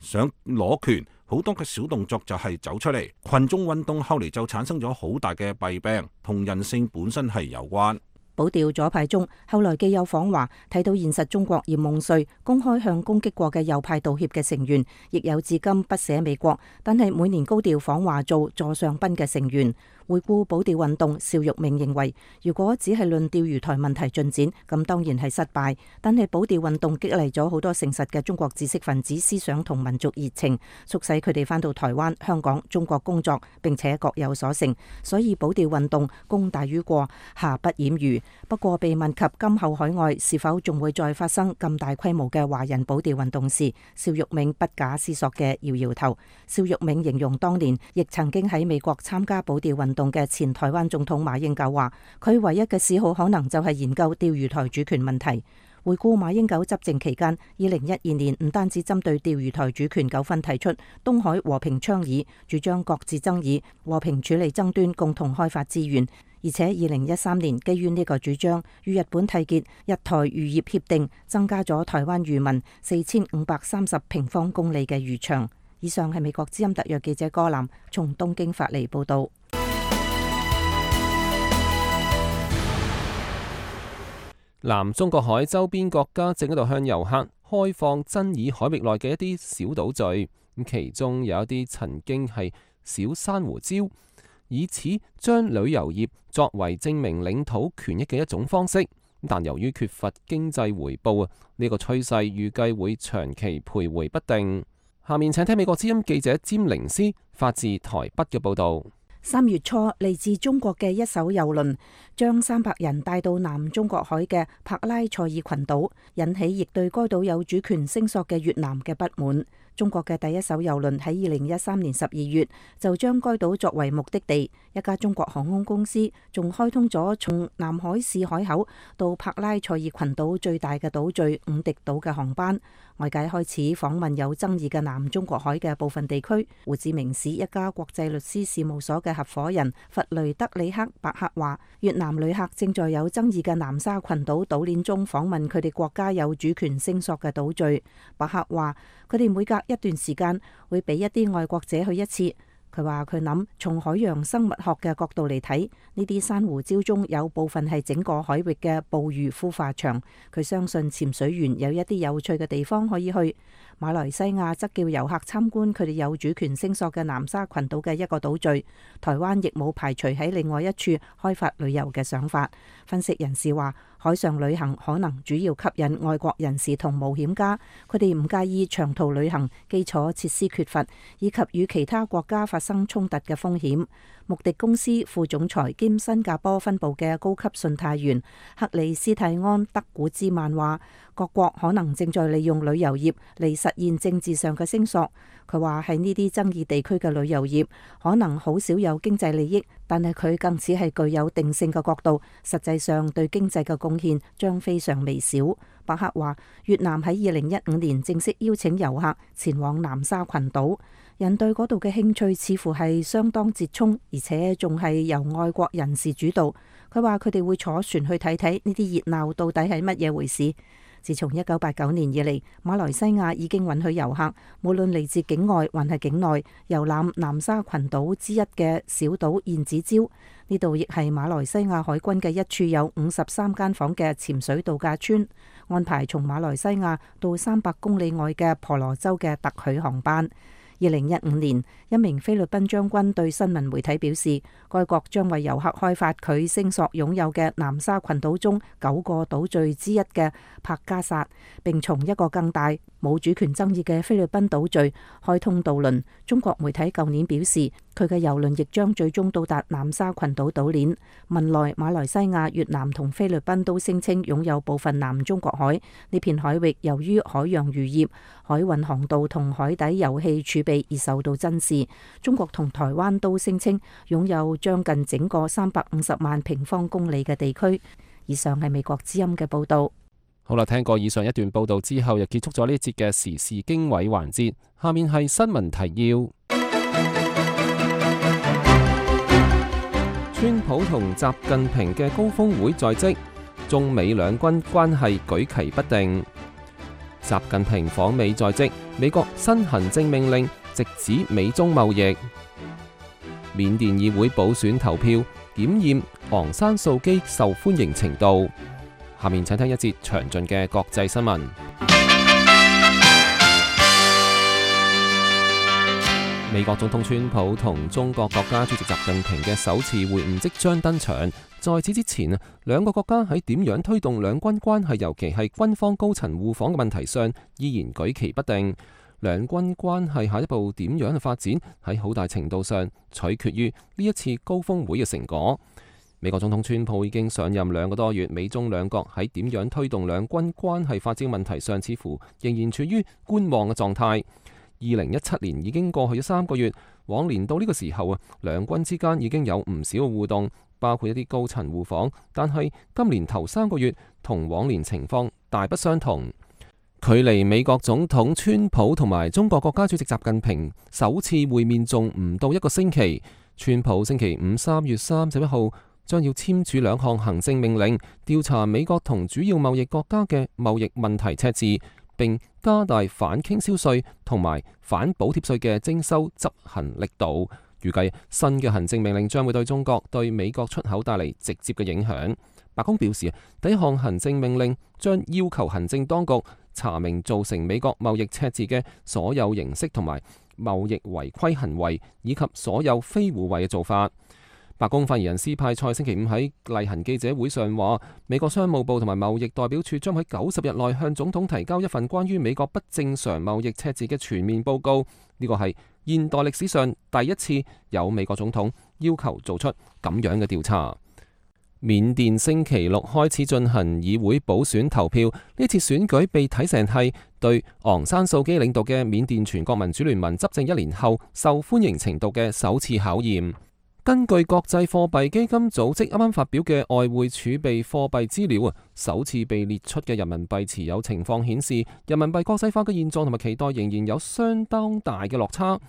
Speaker 5: 想攞權，好多嘅小動作就係走出嚟。群眾運動後嚟就產生咗好大嘅弊病，同人性本身係有關。
Speaker 4: 保釣左派中，後來既有訪華睇到現實中國嫌夢碎，公開向攻擊過嘅右派道歉嘅成員，亦有至今不捨美國，但係每年高調訪華做座上賓嘅成員。回顧保釣運動，邵玉明認為，如果只係論釣魚台問題進展，咁當然係失敗。但係保釣運動激勵咗好多誠實嘅中國知識分子思想同民族熱情，促使佢哋返到台灣、香港、中國工作，並且各有所成。所以保釣運動功大於過，瑕不掩瑜。不過被問及今後海外是否仲會再發生咁大規模嘅華人保釣運動時，邵玉明不假思索嘅搖搖頭。邵玉明形容當年亦曾經喺美國參加保釣運動嘅前台灣總統馬英九話，佢唯一嘅嗜好可能就係研究釣魚台主權問題。回顧馬英九執政期間，二零一二年唔單止針對釣魚台主權糾紛提出東海和平倡議，主張擱置爭議、和平處理爭端、共同開發資源，而且二零一三年基於呢個主張，與日本締結日台漁業協定，增加咗台灣漁民四千五百三十平方公里嘅漁場。以上係美國之音特約記者柯南從東京發嚟報道。
Speaker 2: 南中國海周邊國家正喺度向遊客開放爭議海域內嘅一啲小島嶼，咁其中有一啲曾經係小珊瑚礁，以此將旅遊業作為證明領土權益嘅一種方式。但由於缺乏經濟回報啊，呢個趨勢預計會長期徘徊不定。下面請聽美國之音記者詹玲斯發自台北嘅報導。
Speaker 4: 三月初，嚟自中國嘅一艘郵輪將三百人帶到南中國海嘅帕拉塞爾群島，引起亦對該島有主權聲索嘅越南嘅不滿。中國嘅第一艘郵輪喺二零一三年十二月就將該島作為目的地，一家中國航空公司仲開通咗從南海市海口到帕拉塞爾群島最大嘅島嶼五迪島嘅航班。外界開始訪問有爭議嘅南中國海嘅部分地區。胡志明市一家國際律師事務所嘅合夥人弗雷德里克白克話，越南旅客正在有爭議嘅南沙群島島鏈中訪問佢哋國家有主權聲索嘅島嶼。白克話，佢哋每隔一段時間會俾一啲外國者去一次。佢話佢諗從海洋生物學嘅角度嚟睇，呢啲珊瑚礁中有部分係整個海域嘅捕魚孵化場。佢相信潛水員有一啲有趣嘅地方可以去。馬來西亞則叫遊客參觀佢哋有主權聲索嘅南沙群島嘅一個島嶼。台灣亦冇排除喺另外一處開發旅遊嘅想法。分析人士話，海上旅行可能主要吸引外國人士同冒險家，佢哋唔介意長途旅行、基礎設施缺乏以及與其他國家發生衝突嘅風險。穆迪公司副總裁兼新加坡分部嘅高級信貸員克里斯蒂安德古茲曼話，各國可能正在利用旅遊業嚟實現政治上嘅聲索。佢話喺呢啲爭議地區嘅旅遊業可能好少有經濟利益，但係佢更似係具有定性嘅角度，實際上對經濟嘅貢獻將非常微小。伯克話，越南喺二零一五年正式邀請遊客前往南沙群島，人對嗰度嘅興趣似乎係相當折衷，而且仲係由外國人士主導。佢話佢哋會坐船去睇睇呢啲熱鬧到底係乜嘢回事。自從一九八九年以嚟，馬來西亞已經允許遊客無論嚟自境外還係境內遊覽南沙群島之一嘅小島燕子礁。呢度亦係馬來西亞海軍嘅一處有五十三間房嘅潛水度假村，安排從馬來西亞到三百公里外嘅婆羅洲嘅特許航班。二零一五年，一名菲律賓將軍對新聞媒體表示，該國將為遊客開發佢聲索擁有嘅南沙群島中九個島嶼之一嘅帕加薩，並從一個更大、冇主權爭議嘅菲律賓島嶼開通渡輪。中國媒體舊年表示，佢嘅郵輪亦將最終到達南沙群島島鏈。文萊、馬來西亞、越南同菲律賓都聲稱擁有部分南中國海呢片海域，由於海洋漁業、海運航道同海底油氣儲備而受到珍視。中國同台灣都聲稱擁有將近整個三百五十萬平方公里嘅地區。以上係美國之音嘅報道。
Speaker 2: 好啦，聽過以上一段報道之後，又結束咗呢一節嘅時事經緯環節。下面係新聞提要。川普同習近平嘅高峰會在即，中美兩軍關係舉棋不定。習近平訪美在即，美國新行政命令直指美中貿易。緬甸議會補選投票檢驗昂山素姬受歡迎程度。下面請聽一節詳盡嘅國際新聞。美國總統川普同中國國家主席習近平嘅首次會晤即將登場。在此之前，兩個國家喺點樣推動兩軍關係，尤其係軍方高層互訪嘅問題上，依然舉棋不定。兩軍關係下一步點樣嘅發展，喺好大程度上取決於呢一次高峰會嘅成果。美國總統川普已經上任兩個多月，美中兩國喺點樣推動兩軍關係發展問題上，似乎仍然處於觀望嘅狀態。二零一七年已經過去咗三個月，往年到呢個時候啊，兩軍之間已經有唔少嘅互動，包括一啲高層互訪，但係今年頭三個月同往年情況大不相同。距離美國總統川普同埋中國國家主席習近平首次會面仲唔到一個星期，川普星期五三月三十一號將要簽署兩項行政命令，調查美國同主要貿易國家嘅貿易問題赤字，並加大反傾銷稅同埋反補貼稅嘅徵收執行力度。預計新嘅行政命令將會對中國對美國出口帶嚟直接嘅影響。白宮表示，第一項行政命令將要求行政當局查明造成美國貿易赤字嘅所有形式同埋貿易違規行為，以及所有非互惠嘅做法。白宮發言人斯派塞星期五喺例行記者會上話，美國商務部同埋貿易代表處將喺九十日內向總統提交一份關於美國不正常貿易赤字嘅全面報告。呢個係現代歷史上第一次有美國總統要求做出咁樣嘅調查。緬甸星期六開始進行議會補選投票，呢次選舉被睇成係對昂山素姬領導嘅緬甸全國民主聯盟執政一年後受歡迎程度嘅首次考驗。根據國際貨幣基金組織啱啱發表嘅外匯儲備貨幣資料啊，首次被列出嘅人民幣持有情況顯示，人民幣國際化嘅現狀同埋期待仍然有相當大嘅落差。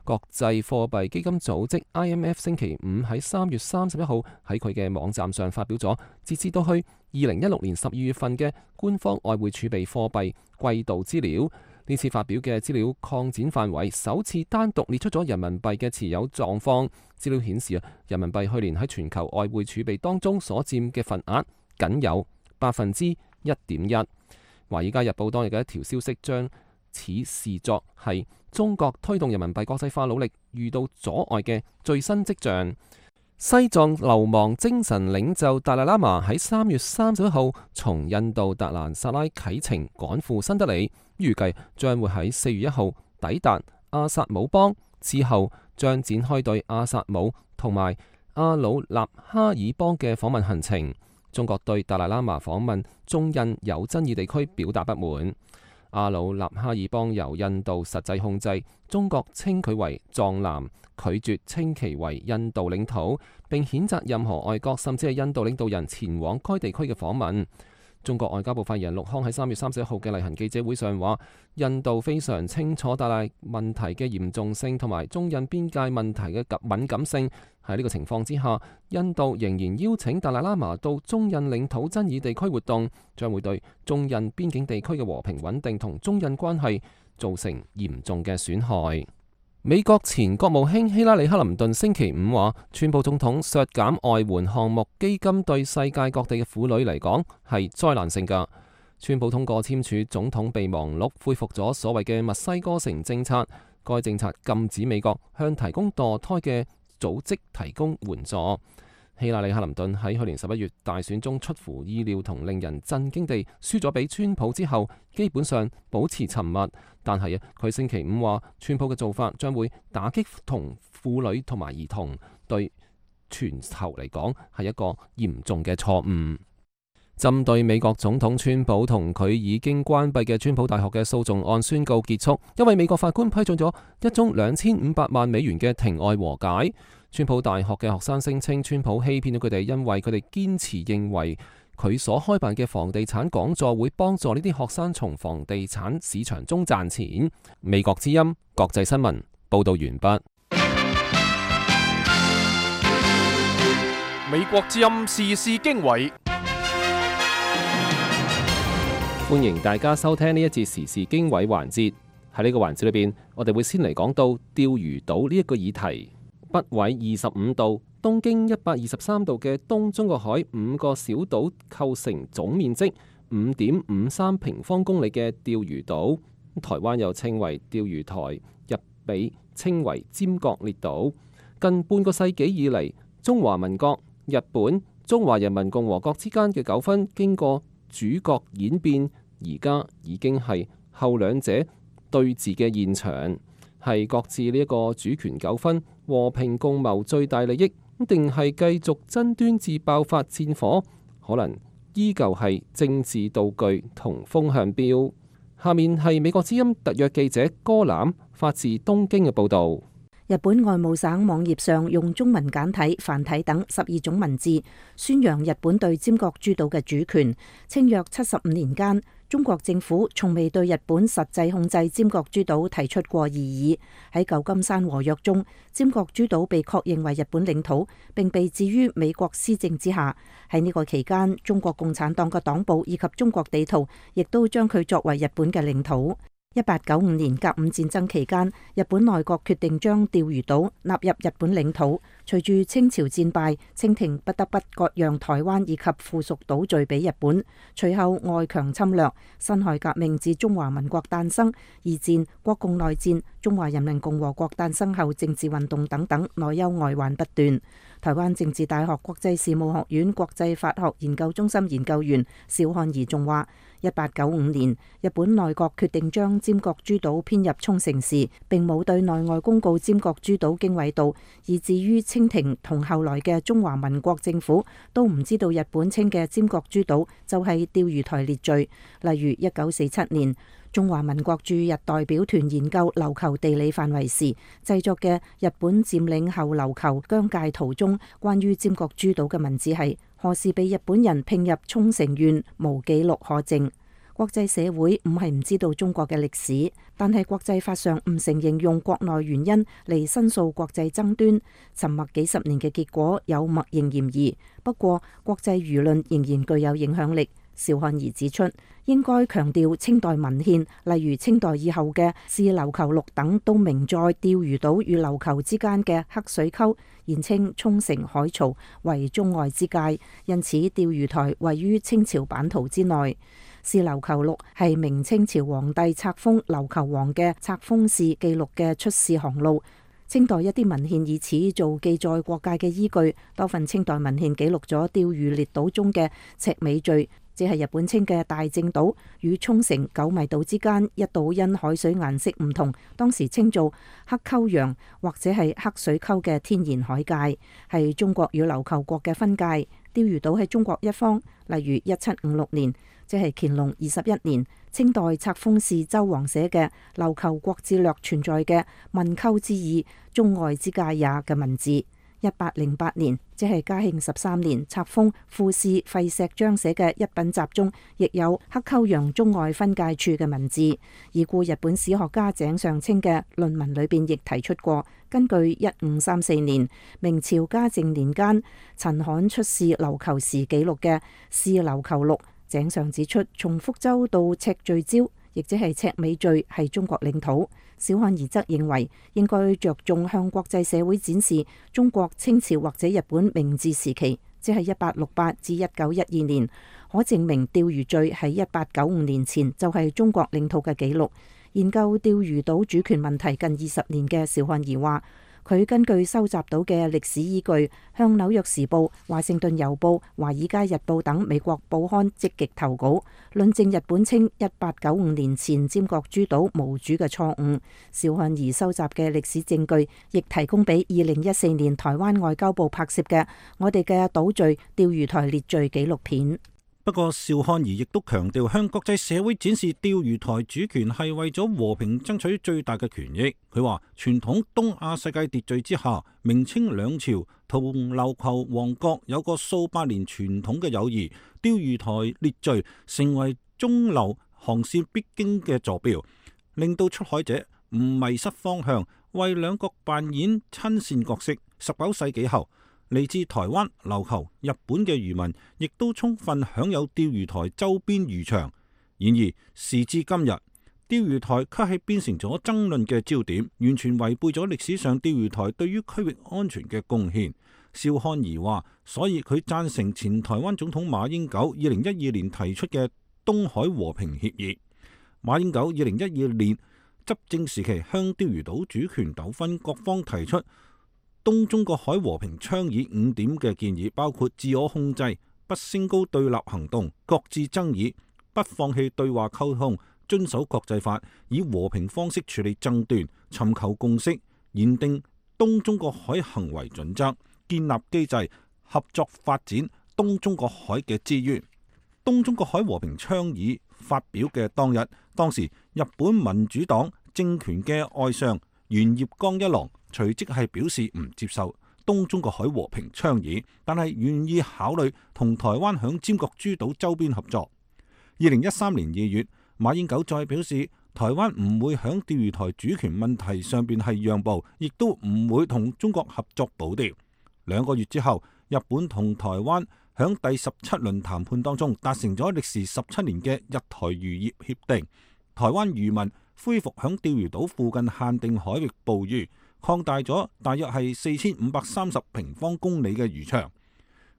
Speaker 2: 國際貨幣基金組織 I M F 星期五喺三月三十一號喺佢嘅網站上發表咗截至到去二零一六年十二月份嘅官方外匯儲備貨幣季度資料。呢次發表嘅資料擴展範圍，首次單獨列出咗人民幣嘅持有狀況。資料顯示啊，人民幣去年喺全球外匯儲備當中所佔嘅份額僅有百分之一點一。華爾街日報當日嘅一條消息將此視作係中國推動人民幣國際化努力遇到阻礙嘅最新跡象。西藏流亡精神領袖達賴喇嘛喺三月三十一號從印度達蘭薩拉啟程趕赴新德里，預計將會喺四月一號抵達阿薩姆邦，之後將展開對阿薩姆同埋阿魯納哈爾邦嘅訪問行程。中國對達賴喇嘛訪問中印有爭議地區表達不滿。阿魯納哈爾邦由印度實際控制，中國稱佢為藏南，拒絕稱其為印度領土，並譴責任何外國甚至係印度領導人前往該地區嘅訪問。中國外交部發言人陸康喺三月三十一號嘅例行記者會上話，印度非常清楚達賴問題嘅嚴重性同埋中印邊界問題嘅敏感性。喺呢個情況之下，印度仍然邀請達賴喇嘛到中印領土爭議地區活動，將會對中印邊境地區嘅和平穩定同中印關係造成嚴重嘅損害。美國前國務卿希拉里克林頓星期五話，川普總統削減外援項目基金對世界各地嘅婦女嚟講係災難性㗎。川普通過簽署總統備忘錄，恢復咗所謂嘅墨西哥城政策，該政策禁止美國向提供墮胎嘅組織提供援助。希拉里·克林頓喺去年十一月大選中出乎意料同令人震驚地輸咗俾川普之後，基本上保持沉默。但係啊，佢星期五話，川普嘅做法將會打擊同婦女同埋兒童，對全球嚟講係一個嚴重嘅錯誤。針對美國總統川普同佢已經關閉嘅川普大學嘅訴訟案宣告結束，因為美國法官批准咗一宗兩千五百萬美元嘅庭外和解。川普大學嘅學生聲稱川普欺騙咗佢哋，因為佢哋堅持認為佢所開辦嘅房地產講座會幫助呢啲學生從房地產市場中賺錢。美國之音國際新聞報道完畢。
Speaker 1: 美國之音時事經緯，
Speaker 2: 歡迎大家收聽呢一節時事經緯環節。喺呢個環節裏邊，我哋會先嚟講到釣魚島呢一個議題。北緯二十五度、東經一百二十三度嘅東中國海五個小島構成總面積五點五三平方公里嘅釣魚島。台灣又稱為釣魚台，日被稱為尖閣列島。近半個世紀以嚟，中華民國、日本、中華人民共和國之間嘅糾紛經過主角演變，而家已經係後兩者對峙嘅現場，係各自呢一個主權糾紛和平共謀最大利益，定係繼續爭端至爆發戰火，可能依舊係政治道具同風向標。下面係美國之音特約記者戈攬發自東京嘅報導。
Speaker 4: 日本外務省網頁上用中文簡體、繁體等十二種文字宣揚日本對尖閣諸島嘅主權，稱約七十五年間，中國政府從未對日本實際控制尖閣諸島提出過異議。喺舊金山和約中，尖閣諸島被確認為日本領土，並被置於美國施政之下。喺呢個期間，中國共產黨嘅黨報以及中國地圖亦都將佢作為日本嘅領土。一八九五年甲午戰爭期間，日本內閣決定將釣魚島納入日本領土。隨住清朝戰敗，清廷不得不割讓台灣以及附屬島嶼俾日本。隨後外強侵略，辛亥革命至中華民國誕生，二戰、國共內戰、中華人民共和國誕生後政治運動等等，內憂外患不斷。台灣政治大學國際事務學院國際法學研究中心研究員邵漢儀仲話：一八九五年，日本內閣決定將尖閣諸島編入沖繩市，並冇對內外公告尖閣諸島經緯度，以至於清廷同後來嘅中華民國政府都唔知道日本稱嘅尖閣諸島就係釣魚台列嶼。例如一九四七年，中華民國駐日代表團研究琉球地理範圍時製作嘅日本佔領後琉球疆界圖中關於尖閣諸島嘅文字係何時被日本人併入沖繩縣，無記錄可證。國際社會唔係唔知道中國嘅歷史，但係國際法上唔承認用國內原因嚟申訴國際爭端，沉默幾十年嘅結果有默認嫌疑。不過國際輿論仍然具有影響力。邵漢儀指出，應該強調清代文獻，例如清代以後嘅《試琉球錄》等，都明載釣魚島與琉球之間嘅黑水溝，現稱沖繩海槽為中外之界，因此釣魚台位於清朝版圖之內。《試琉球錄》係明清朝皇帝冊封琉球王嘅冊封使記錄嘅出使航路。清代一啲文獻以此做記載國界嘅依據，多份清代文獻記錄咗釣魚列島中嘅赤尾嶼，即係日本稱嘅大正島，與沖繩九米島之間一島因海水顏色唔同，當時稱做黑溝洋或者係黑水溝嘅天然海界，係中國與琉球國嘅分界。釣魚島喺中國一方，例如一七五六年，即係乾隆二十一年，清代冊封使周煌寫嘅《琉球國志略》存在嘅問溝之意，中外之界也嘅文字。一八零八年，即係嘉慶十三年，冊封副使費錫章寫嘅一品集中，亦有黑溝洋中外分界處嘅文字。已故日本史學家井上清嘅論文裏邊亦提出過，根據一五三四年明朝嘉靖年間陳罕出使琉球時記錄嘅《試琉球錄》，井上指出，從福州到赤聚礁，亦即係赤尾嶼，係中國領土。小漢儀則認為，應該着重向國際社會展示中國清朝或者日本明治時期，即係一八六八至一九一二年，可證明釣魚嶼喺一八九五年前就係中國領土嘅記錄。研究釣魚島主權問題近二十年嘅邵漢儀話，佢根據收集到嘅歷史依據，向《紐約時報》、《華盛頓郵報》、《華爾街日報》等美國報刊積極投稿，論證日本稱一八九五年前尖閣諸島無主嘅錯誤。邵漢儀收集嘅歷史證據，亦提供俾二零一四年台灣外交部拍攝嘅《我哋嘅島嶼釣魚台列嶼》紀錄片。
Speaker 5: 不過，邵漢儀亦都強調向國際社會展示釣魚台主權係為咗和平爭取最大嘅權益。佢話：傳統東亞世界秩序之下，明清兩朝同琉球王國有個數百年傳統嘅友誼，釣魚台列嶼成為中流航線必經嘅坐標，令到出海者唔迷失方向，為兩國扮演親善角色。十九世紀後，嚟自台灣、琉球、日本嘅漁民，亦都充分享有釣魚台周邊漁場。然而時至今日，釣魚台卻係變成咗爭論嘅焦點，完全違背咗歷史上釣魚台對於區域安全嘅貢獻。邵漢儀話，所以佢贊成前台灣總統馬英九二零一二年提出嘅東海和平協議。馬英九二零一二年執政時期向釣魚島主權糾紛各方提出東中國海和平倡議五點嘅建議，包括自我控制、不升高對立行動、擱置爭議、不放棄對話溝通、遵守國際法、以和平方式處理爭端、尋求共識、擬定東中國海行為準則、建立機制、合作發展東中國海嘅資源。東中國海和平倡議發表嘅當日，當時日本民主黨政權嘅外相猿葉剛一郎隨即係表示唔接受東中國海和平倡議，但係願意考慮同台灣響尖閣諸島周邊合作。二零一三年二月，馬英九再表示，台灣唔會響釣魚台主權問題上邊係讓步，亦都唔會同中國合作保釣。兩個月之後，日本同台灣響第十七輪談判當中達成咗歷時十七年嘅日台漁業協定，台灣漁民恢復響釣魚島附近限定海域捕魚，擴大咗大約係四千五百三十平方公里嘅漁場。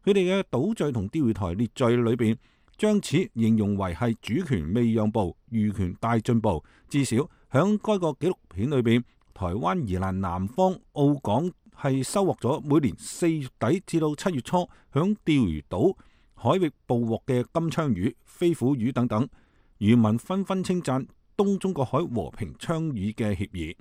Speaker 5: 佢哋嘅島嶼同釣魚台列嶼裏邊，將此形容為係主權未讓步，漁權大進步。至少響該個紀錄片裏邊，台灣宜蘭南方澳港係收穫咗每年四月底至到七月初響釣魚島海域捕獲嘅金槍魚、飛虎魚等等。漁民紛紛稱讚東中國海和平倡議嘅協議。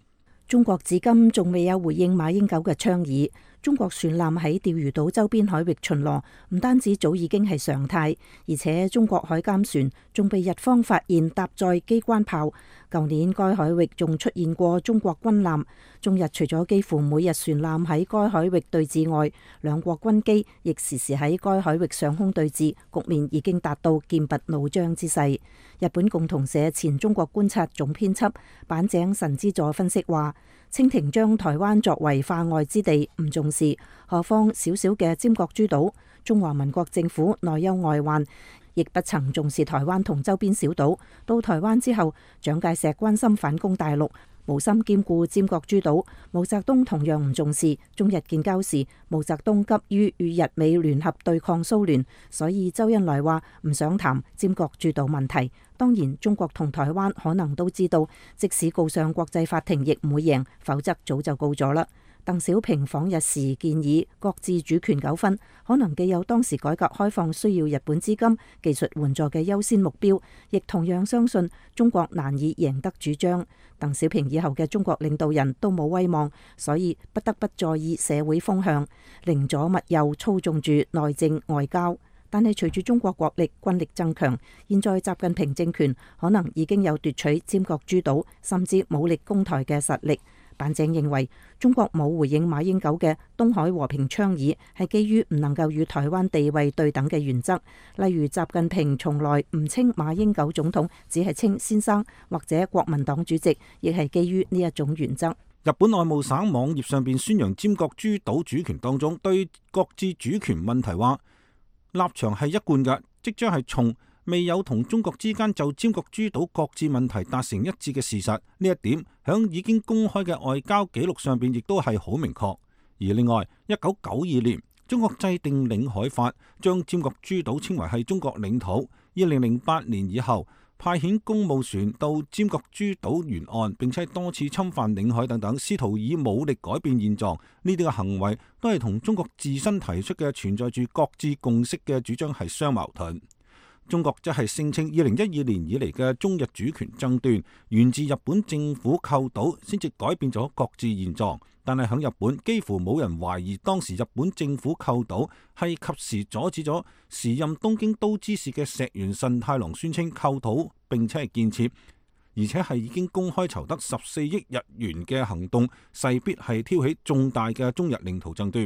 Speaker 4: 中國至今仲未有回應馬英九嘅倡議。中國船艦喺釣魚島周邊海域巡邏，唔單止早已經係常態，而且中國海監船仲被日方發現搭載機關炮。舊年該海域仲出現過中國軍艦。中日除咗幾乎每日船艦喺該海域對峙外，兩國軍機亦時時喺該海域上空對峙，局面已經達到劍拔弩張之勢。日本共同社前中國觀察總編輯板井神之助分析話，清廷將台灣作為化外之地唔重視，何況小小嘅尖閣諸島，中華民國政府內憂外患，亦不曾重視台灣同周邊小島。到台灣之後，蔣介石關心反攻大陸，無心兼顧尖閣諸島。毛澤東同樣唔重視。中日建交時，毛澤東急於與日美聯合對抗蘇聯，所以周恩來話唔想談尖閣諸島問題。當然，中國同台灣可能都知道，即使告上國際法庭，亦唔會贏，否則早就告咗啦。鄧小平訪日時建議，擱置主權糾紛，可能既有當時改革開放需要日本資金、技術援助嘅優先目標，亦同樣相信中國難以贏得主張。鄧小平以後嘅中國領導人都冇威望，所以不得不在意社會風向，寧左勿右操縱住內政外交。但係隨住中國國力軍力增強，現在習近平政權可能已經有奪取尖閣諸島甚至武力攻台嘅實力。板井認為，中國冇回應馬英九嘅東海和平倡議，係基於唔能夠與台灣地位對等嘅原則。例如，習近平從來唔稱馬英九總統，只係稱先生或者國民黨主席，亦係基於呢一種原則。
Speaker 5: 日本外務省網頁上邊宣揚尖閣諸島主權當中，對擱置主權問題話立場係一貫嘅，即將係從未有同中國之間就尖閣諸島擱置問題達成一致嘅事實，呢一點響已經公開嘅外交記錄上邊亦都係好明確。而另外，一九九二年中國制定領海法，將尖閣諸島稱為係中國領土。二零零八年以後，派遣公務船到尖閣諸島沿岸，並且多次侵犯領海等等，試圖以武力改變現狀。呢啲嘅行為都係同中國自身提出嘅存在住各自共識嘅主張係相矛盾。中國則係聲稱二零一二年以嚟嘅中日主權爭端源自日本政府購島，先至改變咗各自現狀。但係喺日本，幾乎冇人懷疑當時日本政府購島係及時阻止咗時任東京都知事嘅石原慎太郎宣稱購島並且係建設，而且係已經公開籌得十四億日元嘅行動，勢必係挑起重大嘅中日領土爭端。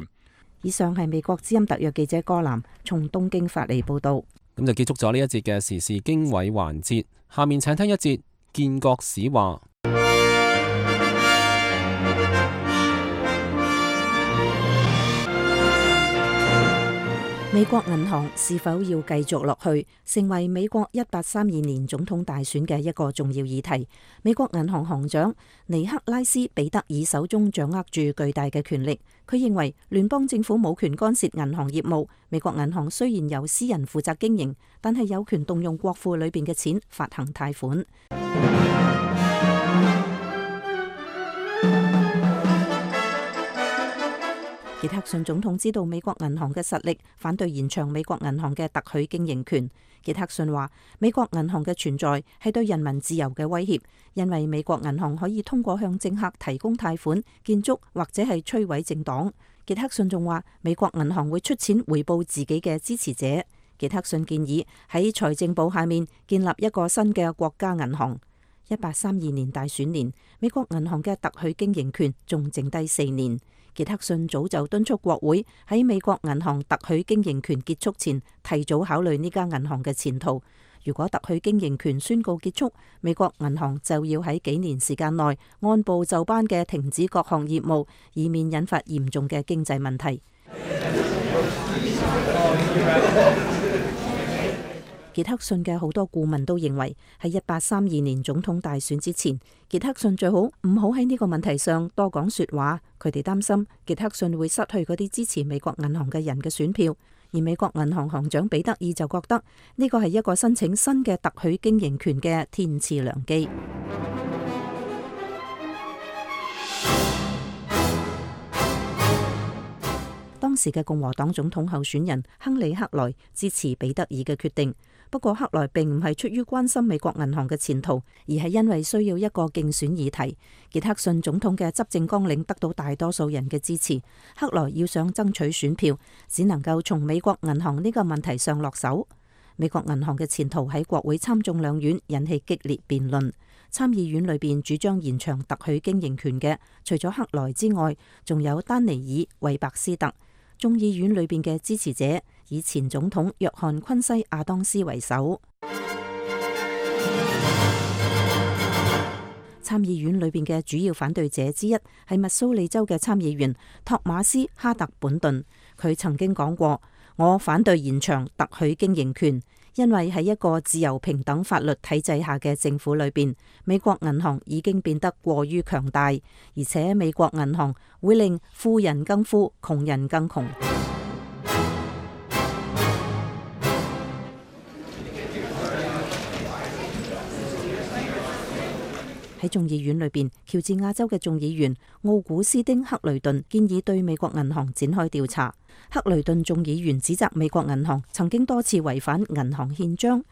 Speaker 4: 以上係美國之音特約記者柯南從東京發嚟報道。
Speaker 2: 咁就結束咗呢一節嘅時事經緯環節，下面請聽一節建國史話。
Speaker 4: 美國銀行是否要繼續落去，成為美國一八三二年總統大選嘅一個重要議題。美國銀行行長尼克拉斯彼得爾手中掌握住巨大嘅權力，佢認為聯邦政府冇權干涉銀行業務。美國銀行雖然由私人負責經營，但係有權動用國庫裏邊嘅錢發行貸款。傑克遜總統知道美國銀行嘅實力，反對延長美國銀行嘅特許經營權。傑克遜話：美國銀行嘅存在係對人民自由嘅威脅，因為美國銀行可以通過向政客提供貸款、建築或者係摧毀政黨。傑克遜仲話：美國銀行會出錢回報自己嘅支持者。傑克遜建議喺財政部下面建立一個新嘅國家銀行。一八三二年大選年，美國銀行嘅特許經營權仲剩低四年。傑克遜早就敦促國會喺美國銀行特許經營權結束前提早考慮呢間銀行嘅前途。如果特許經營權宣告結束，美國銀行就要喺幾年時間內按部就班嘅停止各項業務，以免引發嚴重嘅經濟問題。傑克遜嘅好多顧問都認為，喺一八三二年總統大選之前，傑克遜最好唔好喺呢個問題上多講說話。佢哋擔心傑克遜會失去嗰啲支持美國銀行嘅人嘅選票，而美國銀行行長彼得爾就覺得呢個係一個申請新嘅特許經營權嘅天賜良機。當時嘅共和黨總統候選人亨利·克萊支持彼得爾嘅決定。不過克萊並唔係出於關心美國銀行嘅前途，而係因為需要一個競選議題。傑克遜總統嘅執政綱領得到大多數人嘅支持，克萊要想爭取選票，只能夠從美國銀行呢個問題上落手。美國銀行嘅前途喺國會參眾兩院引起激烈辯論。參議院裏邊主張延長特許經營權嘅，除咗克萊之外，仲有丹尼爾·韋伯斯特。眾議院裏邊嘅支持者以前總統約翰昆西亞當斯為首。參議院裏邊嘅主要反對者之一係密蘇里州嘅參議員托馬斯哈特本頓，佢曾經講過：我反對延長特許經營權，因為喺一個自由平等法律體制下嘅政府裏邊，美國銀行已經變得過於強大，而且美國銀行會令富人更富，窮人更窮。喺眾議院裏邊，喬治亞州嘅眾議員奧古斯丁克雷頓建議對美國銀行展開調查。克雷頓眾議員指責美國銀行曾經多次違反銀行憲章。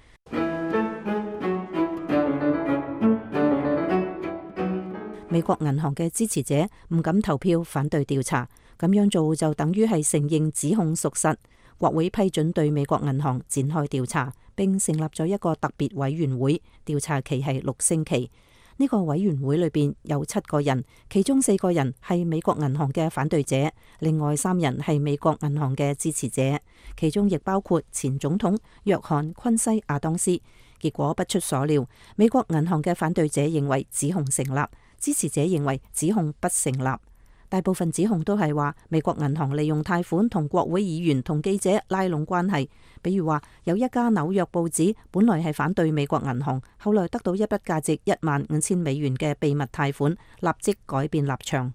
Speaker 4: 美國銀行嘅支持者唔敢投票反對調查，咁樣做就等於係承認指控屬實。國會批准對美國銀行展開調查，並成立咗一個特別委員會，調查期係六星期。呢個委員會裏邊有七個人，其中四個人係美國銀行嘅反對者，另外三人係美國銀行嘅支持者，其中亦包括前總統約翰昆西亞當斯。結果不出所料，美國銀行嘅反對者認為指控成立，支持者認為指控不成立。大部分指控都係話美國銀行利用貸款同國會議員同記者拉攏關係，比如話有一家紐約報紙本來係反對美國銀行，後來得到一筆價值一萬五千美元嘅秘密貸款，立即改變立場。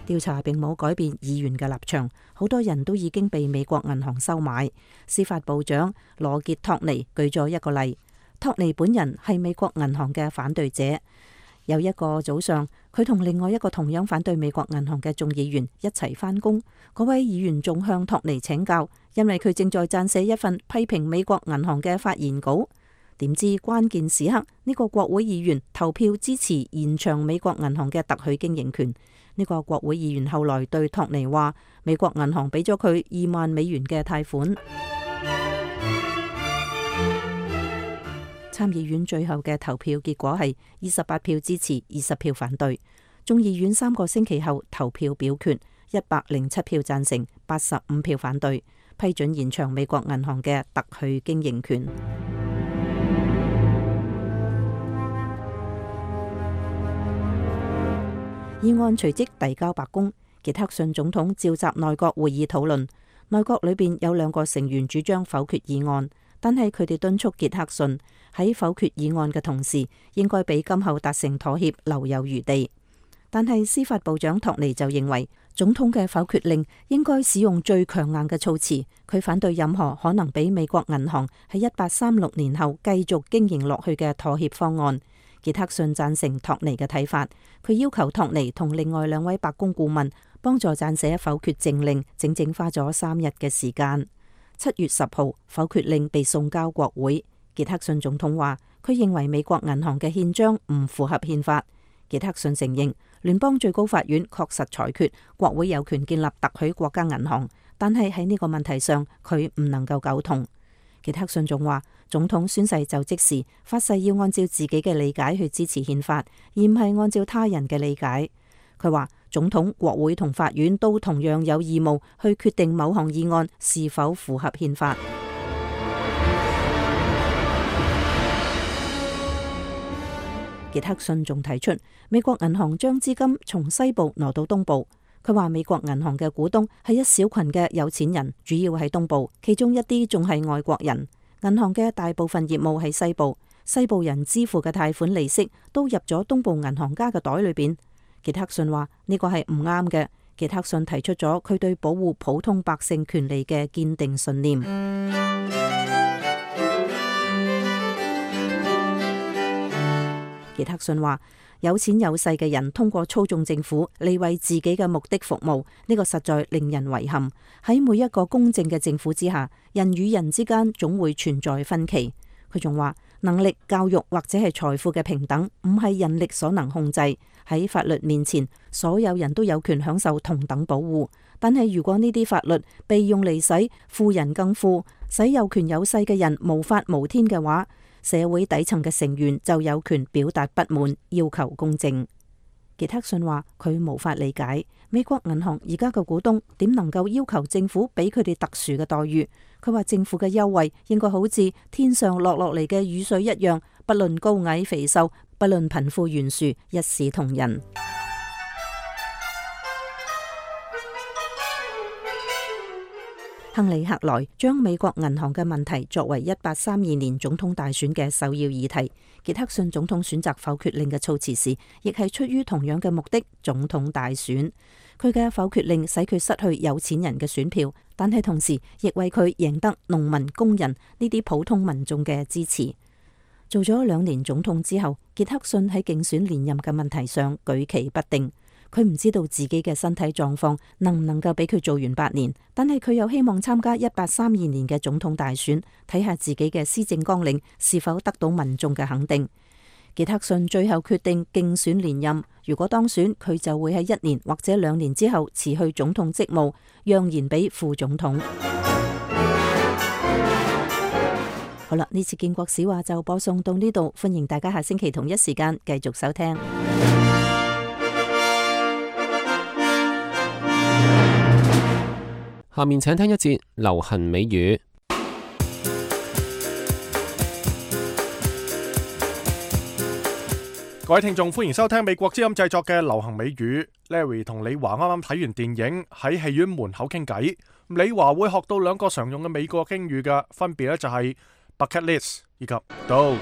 Speaker 4: 調查並冇改變議員嘅立場，好多人都已經被美國銀行收買。司法部長羅傑托尼舉咗一個例，托尼本人係美國銀行嘅反對者。有一個早上，佢同另外一個同樣反對美國銀行嘅眾議員一齊返工，嗰位議員仲向托尼請教，因為佢正在撰寫一份批評美國銀行嘅發言稿。點知關鍵時刻，呢個國會議員投票支持延長美國銀行嘅特許經營權。呢個國會議員後來對托尼話，美國銀行俾咗佢二萬美元嘅貸款。參議院最後嘅投票結果係二十八票支持，二十票反對。眾議院三個星期後投票表決，一百零七票贊成，八十五票反對，批准延長美國銀行嘅特許經營權。議案隨即遞交白宮，傑克遜總統召集內閣會議討論。內閣裏邊有兩個成員主張否決議案，但係佢哋敦促傑克遜喺否決議案嘅同時，應該俾今後達成妥協留有餘地。但係司法部長托尼就認為，總統嘅否決令應該使用最強硬嘅措辭。佢反對任何可能俾美國銀行喺一八三六年後繼續經營落去嘅妥協方案。傑克遜贊成托尼嘅睇法，佢要求托尼同另外兩位白宮顧問幫助撰寫否決政令，整整花咗三日嘅時間。七月十號，否決令被送交國會。傑克遜總統話，佢認為美國銀行嘅憲章唔符合憲法。傑克遜承認，聯邦最高法院確實裁決國會有權建立特許國家銀行，但係喺呢個問題上，佢唔能夠苟同。傑克遜仲話，總統宣誓就職時發誓要按照自己嘅理解去支持憲法，而唔係按照他人嘅理解。佢話，總統、國會同法院都同樣有義務去決定某項議案是否符合憲法。傑克遜仲提出，美國銀行將資金從西部挪到東部。佢話美國銀行嘅股東係一小群嘅有錢人，主要喺東部，其中一啲仲係外國人。銀行嘅大部分業務喺西部，西部人支付嘅貸款利息都入咗東部銀行家嘅袋裏邊。傑克遜話呢個係唔啱嘅。傑克遜提出咗佢對保護普通百姓權利嘅堅定信念。傑克遜話，有錢有勢嘅人通過操縱政府嚟為自己嘅目的服務，呢個實在令人遺憾。喺每一個公正嘅政府之下，人與人之間總會存在分歧。佢仲話，能力、教育或者係財富嘅平等唔係人力所能控制。喺法律面前，所有人都有權享受同等保護。但係如果呢啲法律被用嚟使富人更富，使有權有勢嘅人無法無天嘅話，社會底層嘅成員就有權表達不滿，要求公正。傑克遜話佢無法理解美國銀行而家嘅股東點能夠要求政府俾佢哋特殊嘅待遇。佢話政府嘅優惠應該好似天上落落嚟嘅雨水一樣，不論高矮肥瘦，不論貧富懸殊，一視同仁。亨利·克萊將美國銀行嘅問題作為一八三二年總統大選嘅首要議題。傑克遜總統選擇否決令嘅措辭時，亦係出於同樣嘅目的。總統大選，佢嘅否決令使佢失去有錢人嘅選票，但係同時亦為佢贏得農民、工人呢啲普通民眾嘅支持。做咗兩年總統之後，傑克遜喺競選連任嘅問題上舉棋不定。佢唔知道自己嘅身體狀況能唔能夠俾佢做完八年，但係佢又希望參加一八三二年嘅總統大選，睇下自己嘅施政綱領是否得到民眾嘅肯定。傑克遜最後決定競選連任，如果當選，佢就會喺一年或者兩年之後辭去總統職務，讓賢俾副總統。好啦，呢次建國史話就播送到呢度，歡迎大家下星期同一時間繼續收聽。
Speaker 2: 下面請聽一節流行美語。
Speaker 1: 各位聽眾，歡迎收聽美國之音製作嘅流行美語。Larry 同李華啱啱睇完電影，喺戲院門口傾偈。李華會學到兩個常用嘅美國敬語嘅，分別咧就係 bucket list 以及 dog。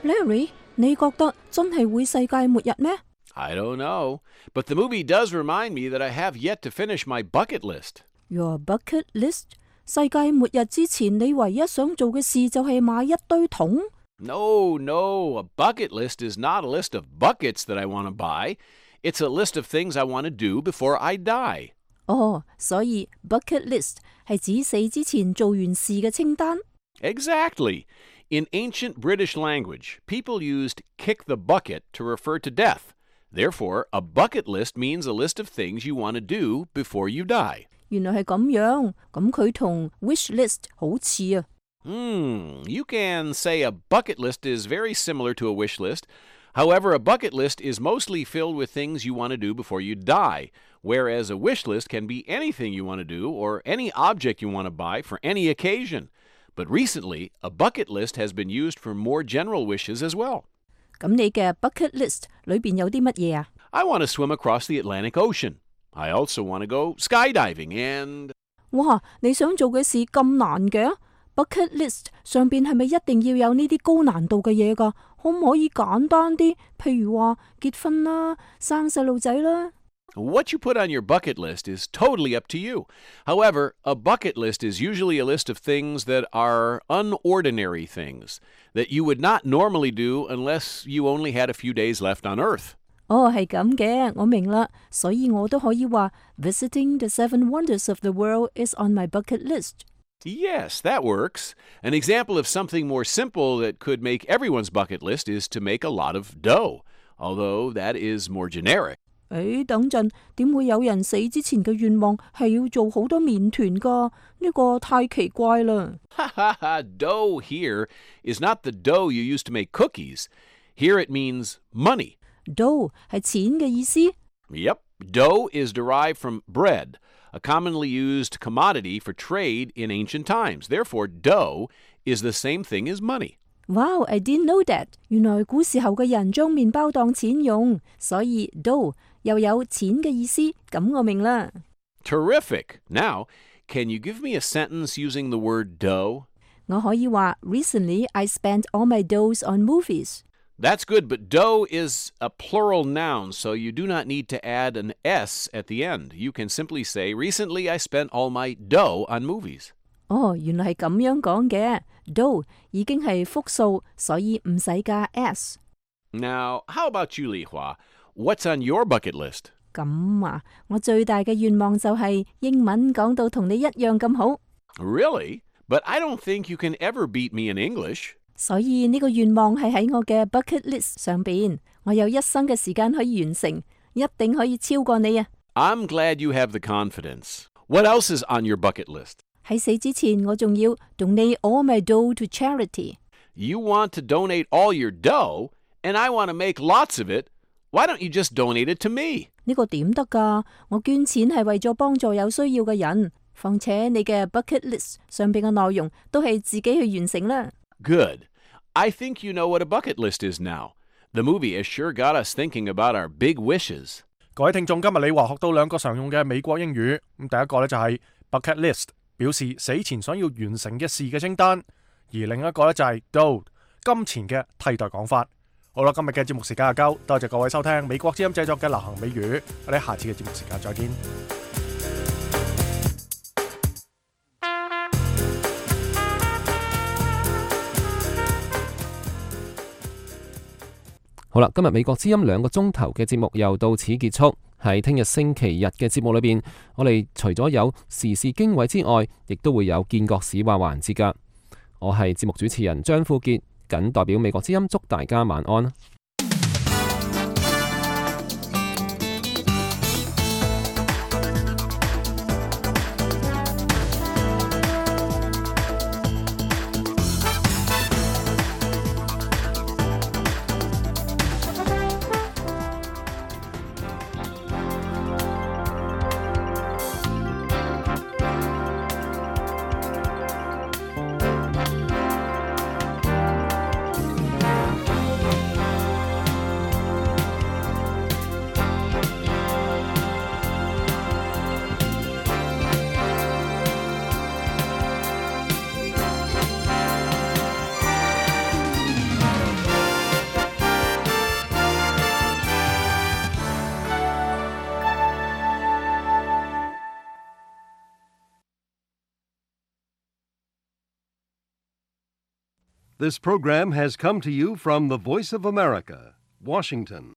Speaker 4: Larry，你覺得真係會世界末日咩？
Speaker 6: I don't know, but the movie does remind me that I have yet to finish my bucket list.
Speaker 4: Your bucket list? 世界末日之前，你唯一想做嘅事就係買一堆桶？
Speaker 6: No, no, a bucket list is not a list of buckets that I want to buy. It's a list of things I want to do before I die.
Speaker 4: 哦，所以 bucket list 係指死之前做完事嘅清單。
Speaker 6: Exactly. In ancient British language, people used kick the bucket to refer to death. Therefore, a bucket list means a list of things you want to do before you die.
Speaker 4: 原來係咁樣，咁佢同 wish list 好似啊。
Speaker 6: Hmm, you can say a bucket list is very similar to a wish list. However, a bucket list is mostly filled with things you want to do before you die, whereas a wish list can be anything you want to do or any object you want to buy for any occasion. But recently, a bucket list has been used for more general wishes as well.
Speaker 4: 咁你嘅 bucket list 裏邊有啲乜嘢啊？
Speaker 6: I want to swim across the Atlantic Ocean. I also want to go skydiving and...
Speaker 4: 哇！你想做嘅事咁難嘅 bucket list 上邊係咪一定要有呢啲高難度嘅嘢㗎？可唔可以簡單啲？譬如話結婚啦、生細路仔啦。
Speaker 6: What you put on your bucket list is totally up to you. However, a bucket list is usually a list of things that are unordinary things that you would not normally do unless you only had a few days left on Earth.
Speaker 4: 哦，係咁嘅，我明啦，所以我都可以話 Visiting the seven wonders of the world is on my bucket list.
Speaker 6: Yes, that works. An example of something more simple that could make everyone's bucket list is to make a lot of dough, although that is more generic.
Speaker 4: 誒，等陣，點會有人死之前嘅願望係要做好多麵團㗎？呢個太奇怪啦。
Speaker 6: Ha ha ha, dough here is not the dough you use to make cookies. Here it means money.
Speaker 4: Dough 係錢嘅意思。
Speaker 6: Yep, dough is derived from bread, a commonly used commodity for trade in ancient times. Therefore, dough is the same thing as money.
Speaker 4: Wow, I didn't know that. 原來古時候嘅人將麵包當錢用，所以 dough 又有錢嘅意思，咁我明啦。
Speaker 6: Terrific. Now, can you give me a sentence using the word dough?
Speaker 4: 我可以話 Recently, I spent all my doughs on movies.
Speaker 6: That's good, but dough is a plural noun, so you do not need to add an S at the end. You can simply say, Recently, I spent all my dough on movies.
Speaker 4: 哦，原來係咁樣講嘅。dough 已經係複數，所以唔使加 s。
Speaker 6: Now, how about you, Li Hua? What's on your bucket list?
Speaker 4: 咁啊，我最大嘅願望就係英文講到同你一樣咁好。
Speaker 6: Really? But I don't think you can ever beat me in English.
Speaker 4: 所以呢個願望係喺我嘅 bucket list 上邊，我有一生嘅時間可以完成，一定可以超過你啊！
Speaker 6: I'm glad you have the confidence. What else is on your bucket list?
Speaker 4: 喺死之前，我仲要 donate all my dough to charity.
Speaker 6: You want to donate all your dough, and I want to make lots of it. Why don't you just donate it to me?
Speaker 4: 呢個點得㗎？我捐錢係為咗幫助有需要嘅人，況且你嘅 bucket list 上邊嘅內容都係自己去完成啦。
Speaker 6: Good. I think you know what a bucket list is now. The movie has sure got us thinking about our big wishes.
Speaker 1: 各位聽眾，今日你話學到兩個常用嘅美國英語。咁第一個呢就係 bucket list，表示死前想要完成嘅事嘅清單；而另一個呢就係 dough，金錢嘅替代講法。好啦，今日嘅節目時間就夠，多謝各位收聽美國之音製作嘅流行美語。我哋下次嘅節目時間再見。
Speaker 2: 好啦，今日美國之音兩個鐘頭嘅節目又到此結束。喺聽日星期日嘅節目裏邊，我哋除咗有時事經緯之外，亦都會有見國史話環節㗎。我係節目主持人張富傑，謹代表美國之音祝大家晚安。
Speaker 7: This program has come to you from the Voice of America, Washington.